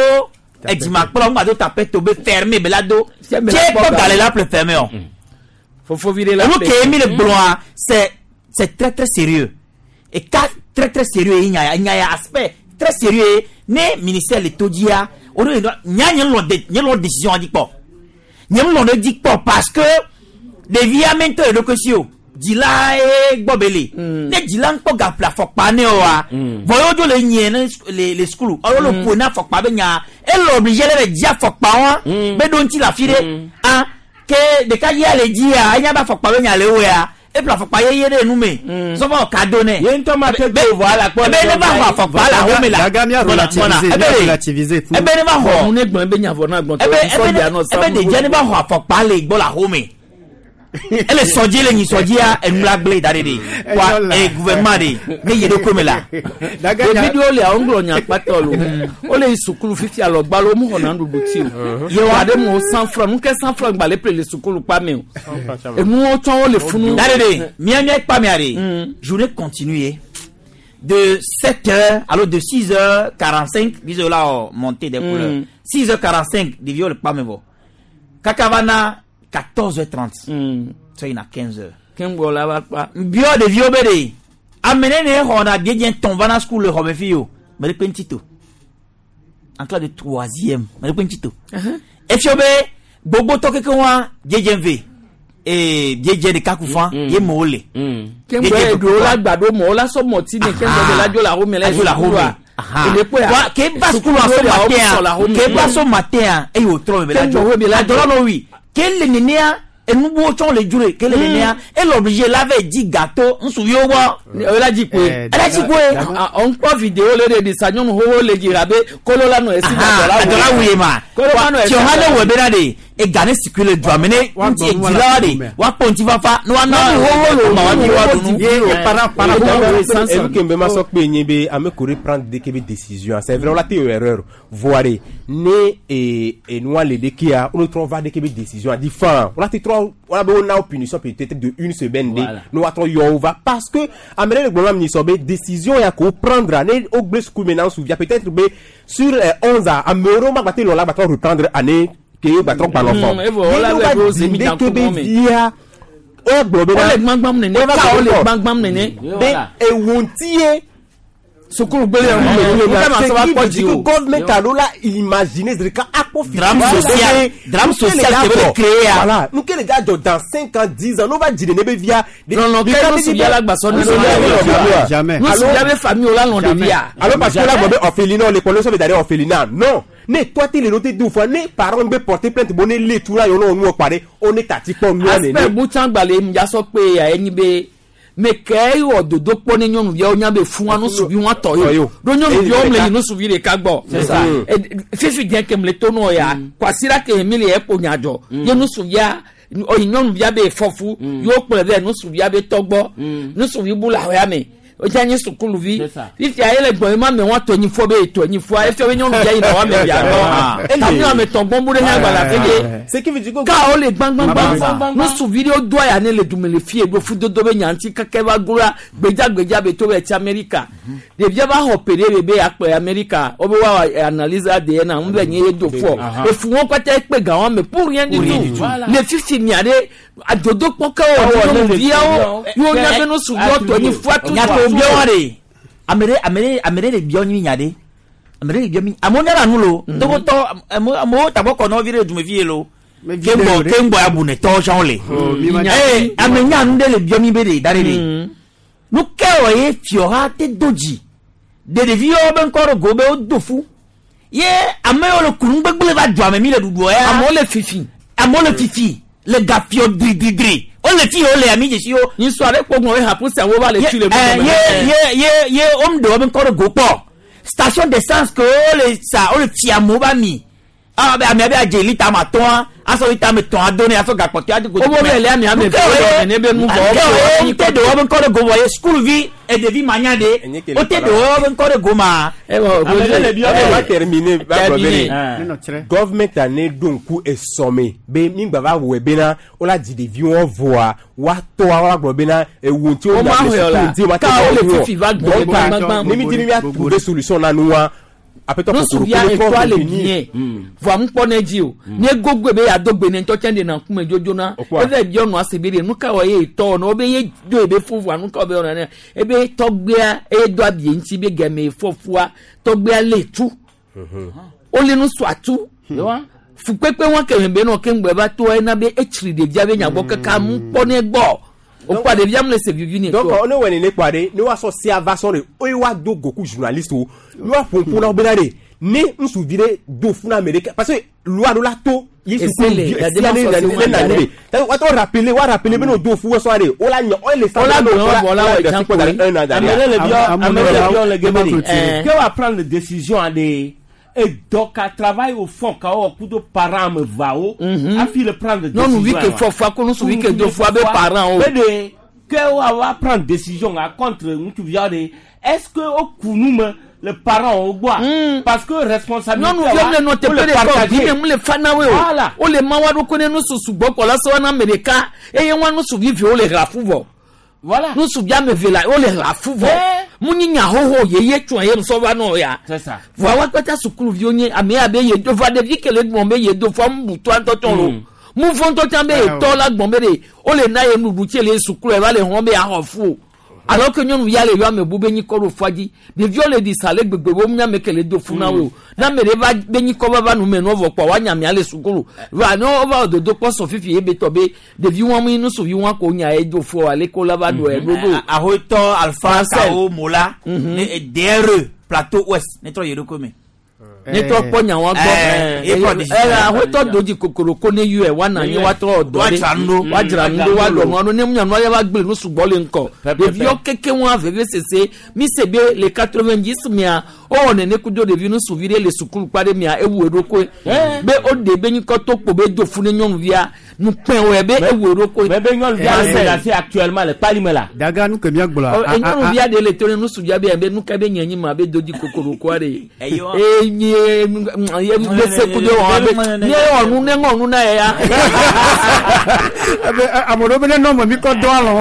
edzimakplɔ ŋgba do tapete o be fermé be la do. Fia be la Tse kpɔ kpɔ ga. gale la ƒle fermé o. Fofovi ɖe la Enu ƒle. ke mi le gblɔa c'est c'est très très sérieux. Et cas très très sérieux ye nya ya nya ya aspect très sérieux ye ne ministère le to dzia o de nya nye lɔ de nye lɔ décision dzi kpɔ. Nye lɔ ne dzi kpɔ parce que ɖevia me ŋutɔ le ɖokui si o. Dzila ye gbɔ be le. Ne dzila ŋkpɔ ga ƒle afɔkpa ne oa. Vɔ ye wodzo le nyie ne le le sukulu. Alo le ƒo ne afɔkpa be nya. Ele obligé le be dzi afɔkpa wa. Be ɖo ŋuti le afi ɖe. Ah ke ɖeka dzia le dzia enya be afɔkpa be nya le woea. Eƒle afɔkpa yeye ɖe nu me. Sɔfɔ kado nɛ. Ye ŋutɔ ma te do vɔ ala kpɔ. Ebe ne va xɔ afɔkpa le ahome la. Gaga mia Gbɔna, relativiser, gbɔna. mia Ebe de- relativiser tout. Ebe ne va xɔ. Nu ne gblɔ be nya vɔ na gbɔntɔ. Ebe ebe ne ebe ɖevia ne va xɔ afɔkpa le gbɔ le ahome. Ele sɔdzi le nyi sɔdzia enu la gblẽ da ɖe ɖe. Wa e gouvernement ɖe ne yi ɖe kome la. Ɖevi ɖewo lia wo ŋlɔ nya kpatɔ lo. Wole yi sukulu fifia lɔ gbalo mu xɔna nuɖuɖu ti o. Ye wa- Wa ɖe mu cent franc nu ke cent franc gba le ƒle le sukulu kpa me o. Enuwo tsɔ wo le funu. Da ɖe ɖe mía mía kpa mea ɖe journée continue ye. De sept heures alors de six heures quarante-cinq bisous là oh, montée des couleurs. Mm. six heures quarante-cinq ɖeviwo le kpa me vɔ. Kaka va na quatorze heures trente. Sɔ yina quinze heures. Keŋgbɔ la va kpa. Biɔ ɖeviwo be ɖe ame ne ne xɔna biedze tɔn va na sukulu le xɔme fi o me ɖe kpe ŋuti to en classe de troisième me ɖe kpe ŋuti to efio be gbogbotɔ keke wa biedze ve ee biedze ɖeka ku fa ye mewo le. Keŋgbɔ eɖewo la gba ɖo mɔ wo la sɔ mɔti ne keŋgbɔ de la dzo le ahome la Adzo le ahome. sukulua. Aha. Eɖe kpɔa. Wa ke ba sukulu aso matin ke ba so matin eye wòtrɔ me be la Keŋgbɔ wo be la dzo dzo. adɔlɔ nɔ wi ke le nenea enubuwo tsɔ le dzro ke le nenea ele obligé la vɛ dzi gâteau ŋutsuviwo gbɔ. O la dzi koe. Ela dzi koe. Ɔn kpɔ vidéo le ɖe ɖisa nyɔnu xoxo le dzi rabe kolo la nɔ esi Aha, adɔla wuye ma Kolo la nɔ esi. tiɔha ne wɔ bena de ega ne sikui le dua me ne ŋuti edzilawa de woakpɔ ŋutifafa ne woana Nyɔnu xoxo le ma woavi woaɖu nu. Enu ke mbe ma sɔ kpe nye be ame ko ɖe prendre ɖeke be décision c'est vrai wola te wɔ erreur voa ɖe ne e enua le ɖekea wo ne trɔ va ɖeke be décision di fan wola te trɔ wola be wona wo punition peut-être de une semaine ɖe Voilà. ne woatrɔ yɔ wo va parce que ame ɖe le gblɔm na mi sɔ be décision ya ko wo prendre ne wo gblẽ suku me na suvia peut-être be sur euh, onze a ame ɖewo ma gba te lɔ la gba trɔ reprendre année ke ye gba trɔ gba nɔ Mm, fɔ evɔ wola Ne le va ɖo di zemi ɖeke danku be mɔ me. via wogblɔ be Wole gbãgbãm nene, Wova ka wole gblɔ gbãgbãm nene. be ewo ŋuti ye Sukulu gbele ya Mais mu kama c'est sɔ va qui kpɔ veut dzi dire que o. government alo la imaginer c'est ka akpɔ fi. Drame social. Drame social ke be le créer ya. Voilà. Nous que les gars dans cinq ans dix ans, nous va dire ne be via. Non non, kɛ nusuvia la gbasɔ Jamais. Nusuvia be famille o la lɔn ɖevia. Alors parce que là, bon, orphelinat, l'école, ça veut d'aller orphelinat. Non. Ne toi, t'es le noté deux fois. Ne parents be porter plainte, bon, ne les tout là, on nous parler. On est tati comme nous, Aspect butsã gbalẽ mdzasɔ kpe ya enyi be me ke wɔ dodo kpɔ ne nyɔnuviawo nya be fún wa nusuvi wọn tɔ ye o ɖo nyɔnuviawo mle yi nusuvi ɖeka gbɔ C'est ça. E, fifi diɛ ke mle to nɔ ya kwasira ke mi le ekpo nyadzɔ ye nusuvia oyi nyɔnuvia be fɔfu yewo kplɔe vɛ nusuvia be tɔ gbɔ nusuvi bu le ahɔya me o dza nye sukuluvi C'est ça. fifia ye le gbɔn ye ma me wɔn tɔ nyi fɔ be etɔ nyi fɔa efia be nyɔnuvia yina wa me via gbɔ tami ame tɔn gbɔn bu ɖe nye agbalẽ afi de Ce qui veut dire que ka wo le gbangbangban Gbangbangban. nusuvi ɖewo do aya ne le dume le fie ɖo fudodo be nyanti keke va gloa gbedzagbedza be to be tsi amerika ɖevia va xɔ pe ɖe be akplɔ amerika wo be wa analyse A D N ŋu be nye ye do fɔ efu wɔn kpata ekpe ga wɔn me pour rien du rien du tout tout. Voilà. le fifi mia ɖe adodokpɔ ke Awɔ, wɔ ne le nyɔnuviawo ɖeviawo. yewo nya be nusuviwo tɔ nyi fua tu Nya ko biɔ wa de. Ame ɖe ame ɖe ame ɖe le biɔ nyi nya ɖe. Ame ɖe le biɔ mi. Amewo nyana nu lo. Togotɔ amewo amewo tagbɔ kɔ nɔvi ɖe dumevi ye lo. Keŋgbɔ keŋgbɔ ya bu ne tɔwo tsã le. Ee ame nya nu ɖe le biɔ mi be ɖe da ɖe ɖe. Nu ke wɔ ye fiɔ ha te do dzi. De ɖeviwo be ŋkɔ ɖo go be wodo fu. Ye ame yiwo le kunu gbegble va du ame mi le ɖuɖuɔ ya. Amewo le fifi. Amewo le fifi. Le gafiɔ dridridri. Wole fi wole ami dzesi wo. Nyisɔ aɖe kpɔ gbɔn be hapu sia wo va le Ye tu le ɛ, ye ye ye ye wo ɖe wo be ŋkɔ ɖe go kpɔ. Station d'essence ke wole sa wole fi amewo ba mi. Awa be amea be adze lita ame atɔ̃a asɔ lita ame etɔ̃ ado ne asɔ gakpɔtɔe ado go. Wo be le ame ame eve wo ne be nu vɔ, Ke wo wo be te ɖe wo be ŋkɔ ɖe go vɔ ye sukuvi eɖevi manya ɖe wo te ɖe wo be ŋkɔ ɖe go ma. Ame ɖe le biɔ be va terminer va gblɔ be Ne ne nɔ tsrɛ. government ane ɖo ŋku esɔme be mi gba va wɔe bena wola dzi ɖeviwo vɔa woatɔa wola gblɔ bena ewu ŋuti Wo ma le xɔe la. suku ŋuti wo ma Ka wo le fifi va gbɔ Donc, gbangban. ne mi di mi mia trouver solution na nua aƒetɔ Nusuvia kokoro etɔa le venir. bien vɔa ŋukpɔ ne dzi o ne gogoe be yeado gbe ne ŋutɔ tsɛ ɖe na ŋkume dzodzo na Okua. eve biɔ nua se be ɖe nu ka wɔ ye etɔ ne wo be ye do ebe fu vɔa nu ka wɔ be wɔna ne ebe tɔgbea eye do abie ŋuti be gɛmɛ fɔfua tɔgbea le tu wole nusua tu fukpekpe wɔn kɛmɛ be nɔ keŋgbɛ va to ena be etsri ɖevia be nyagbɔ kaka ŋukpɔ ne gbɔ okua ɖevia mu le se vivi ne donc tɔ ne wɔ nene kpɔa ɖe ne woasɔ sia va sɔn de eye woado goku journaliste wo ne woaƒo ƒo na wo bena ɖe ne ŋutsuvi ɖe do fu na ame ɖeke parce que loi ɖo la to ye Ese suku le, vi la sia ne démarche ne sociale ne na le. ne de woatɔ rappeler wa rappeler be ne o do fu sɔn de o la nya o le sa O la gblɔ vɔ la wɔ da example un an Ame ɖe le biɔ ame ɖe le biɔ le geme Clôturer. de ke wa prendre décision aɖe edɔ ka travail au fond ka wɔ kudo parent ame eveawo hafi le prendre décision Nyɔnuvi ke wa. fɔfua ko nusuvi ke do fua be parent o. Be de ke wa wa prendre décision a contre ŋutsuviawo de est-ce que wo ku nu me le parent wo gbɔa parce que responsabilité nyɔnuviwo le nɔ teƒe wole ɖeka o partager. vi me mu le fa na woe o Voilà. wole ma wa ɖokui ne nususu gbɔ kɔ la sɔ wa na ame ɖeka eye wa nusuvi viwo le hla fu vɔ Voilà. nusuvi ame eve la wole hla fu vɔ mu nyi nya xoxo yeye tsɔ ye sɔ va nɔ ya C'est ça. vɔa wa kpata sukuluviwo nye ame ya be ye do va ɖevi ke le gbɔn be ye do fua mu bu toa ŋutɔ tsɔ lo mu fɔ ŋutɔ tsã be ye tɔ la gbɔn be de wole na ye nuɖu tse le sukulu eva le hɔn be yaxɔ fu o alors que nyɔnuvia le yɔ ame bu be nyikɔ ɖo fua dzi ɖeviwo le ɖi sa le gbegbe wo nya me ke le do fu na wo o na ame ɖe va be nyikɔ va va nu me nɔ vɔ kpɔ wa nya mia le sukulu va ne wo va dodo kpɔ sɔ fifi ye be tɔ be ɖevi wɔn mi nusuvi wɔn ko nya ye do fu ale ko la va do yɛ ɖoɖo Ahoytɔ Alpha Marcel. Kao Mola ne D R E Plateau Ouest ne trɔ yi ɖokui me. Ne trɔ kpɔ nya wa gbɔ Eh, ye prend décision. ɛ ahoytɔ do dzi kokoroko ne yɔe wa na anyi wa trɔ dɔ ɖe Wa dzra nu ɖo. wa dzra nu ɖo wa ɖɔ nua ɖo ne mu nyanua ya va gble nu sugbɔ le ŋkɔ ɖeviwo keke wɔn veve sese mi se be le quatre vingt dix mia wowɔ nene kudo ɖevi nusuvi ɖe le sukulu kpa ɖe mia ewu eɖokoe be o de be nyikɔ to kpo be do fu ne nyɔnuvia nukpɛ wɔe be ewu eɖokoe. Mais be nyɔnuvia le menacé actuellement le kpalime la. Daga nu ke míagblɔa. Ɔ, e nyɔnuvia ɖe le to ne nusuvia be be nuka be nye nyi ma be do dzi kokorokoa ɖe e nye ye gbese kudo wɔn be nye wɔ nu ne ŋɔ nu na ye ya. Ebe ame ɖewo be ne nɔ me mi kɔ dɔn alɔ.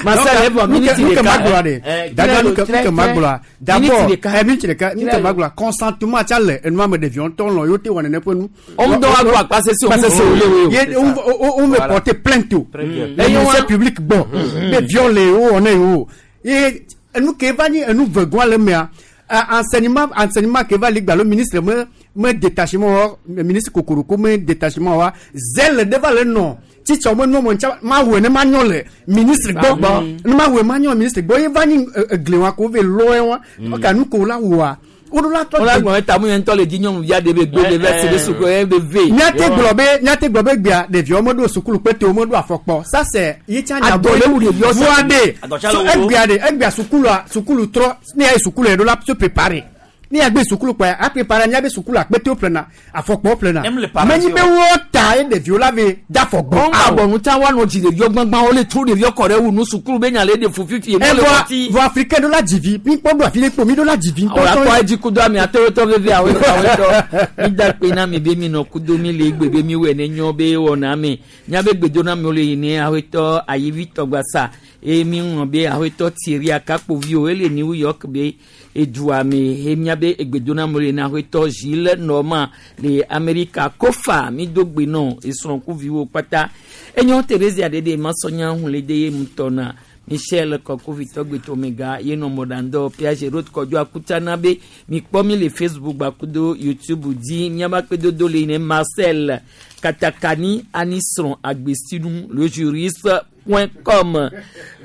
Marcel, evɔ, miniti nu ke ɖeka. ma gblɔa ɖe. Eh, Daga nu ke trɛ, nu ke ma trɛ. gblɔa. D'abord, Miniti ɖeka. eh, miniti ɖeka nu ke ma gblɔa consentement tsa le enua me ɖeviwo ŋutɔ lɔ yewo te wɔ nene ƒe nu. Wo ŋutɔ wa gbɔ akpa sese o, Akpa sese wo le wo. Ye wo wo wo me Voilà. porter plainte o. Très bien. Le ministère public gbɔ. Be viol le wo wɔ ne yewo. Ye Enu ke va nyi enu vegɔa le mea enseignement enseignement ke va li gba le ministre me me détachement wa ministre kokoroko me détachement wa zèle de va le nɔ titsa me nɔ mo ntsa ma wɔ ne ma nyɔ le ministre gbɔ ne ma wɔ ma nyɔ ministre gbɔ ye va nyi egle wa ko ve lɔɛ wa ka nu ko la wɔa woɖo la tɔ. Wọ́n lágbọ̀n ta mú yẹn tọ́ le di nyɔnu via de be gbe de vɛ se de suku ye be ve. Míate gblɔ be míate gblɔ be gbea ɖeviwo meɖo sukulu kpete wo meɖo afɔkpɔ ça c'est yi tsa nya Adɔ le wu ɖeviwo sa. voa de Adɔ tsa so le wo. egbea de egbea sukulua sukulu trɔ ne ya yi sukulu yɛ ɖo la se préparer ne ya gbe sukulu kpɔ a préparer nya be sukulu akpetewo ƒlena afɔkpɔwo ƒlena Nem le parents menyi be o. wo ta ye ɖeviwo la ve da afɔgbɔ. Wọ́n máa bọ̀ ń tá wà nù jì ɖeviwo gbangban wọ́n lè tú ɖeviwo kɔ ɖe wu nu sukulu be nya le de fu fifi. Ẹ vɔ vɔ africain ɖo la dzivi mi kpɔ ɖo afi ɖe kpo mi ɖo la dzivi Àwọn akɔ edzi kudo ami atewotɔ veve awetɔ awetɔ mi da kpe na mi be mi nɔ kudo mi le egbe be mi wɔ ne nyɔ be wɔna me nyabe gbedo na mi wo le yi ne awetɔ ayivi tɔgbasa eye mi ŋlɔ be awetɔ Thierry Akakpoviwo ele New York be edua me eye miabe egbedo na mi wo le ne awetɔ Gilles Norman le Amerika kofa mi do gbe nɔ esrɔ̃kuviwo kpata enyo Theresia ɖeɖe masɔnya hun le de ye ŋutɔ na Michel Kɔkuvitɔ Gbetomega ye nɔ mɔɖandɔ Piaget Road Kɔdzo Akutsana be mikpɔ mi le Facebook gbakudo YouTube dzi miaba kpedodo le ne Marcel Katakani Anisrɔn Agbesinu le juriste point com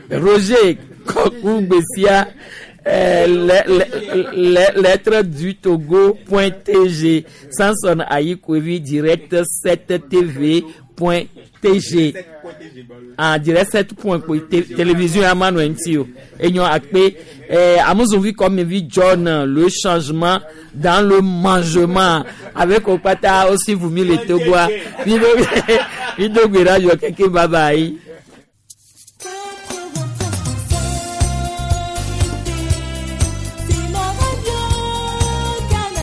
Roger Kɔku Gbesia euh, le- le- le- lettre du Togo point T G Samson Ayikoevi direct sept T V point T G en direct sept point T télévision amanu ŋuti o enyo akpe eh, amuzovi kɔmivi John le changement dans le mangement avec Okpata aussi vumi le Togoa mi do mi do gbera yɔ keke bye bye.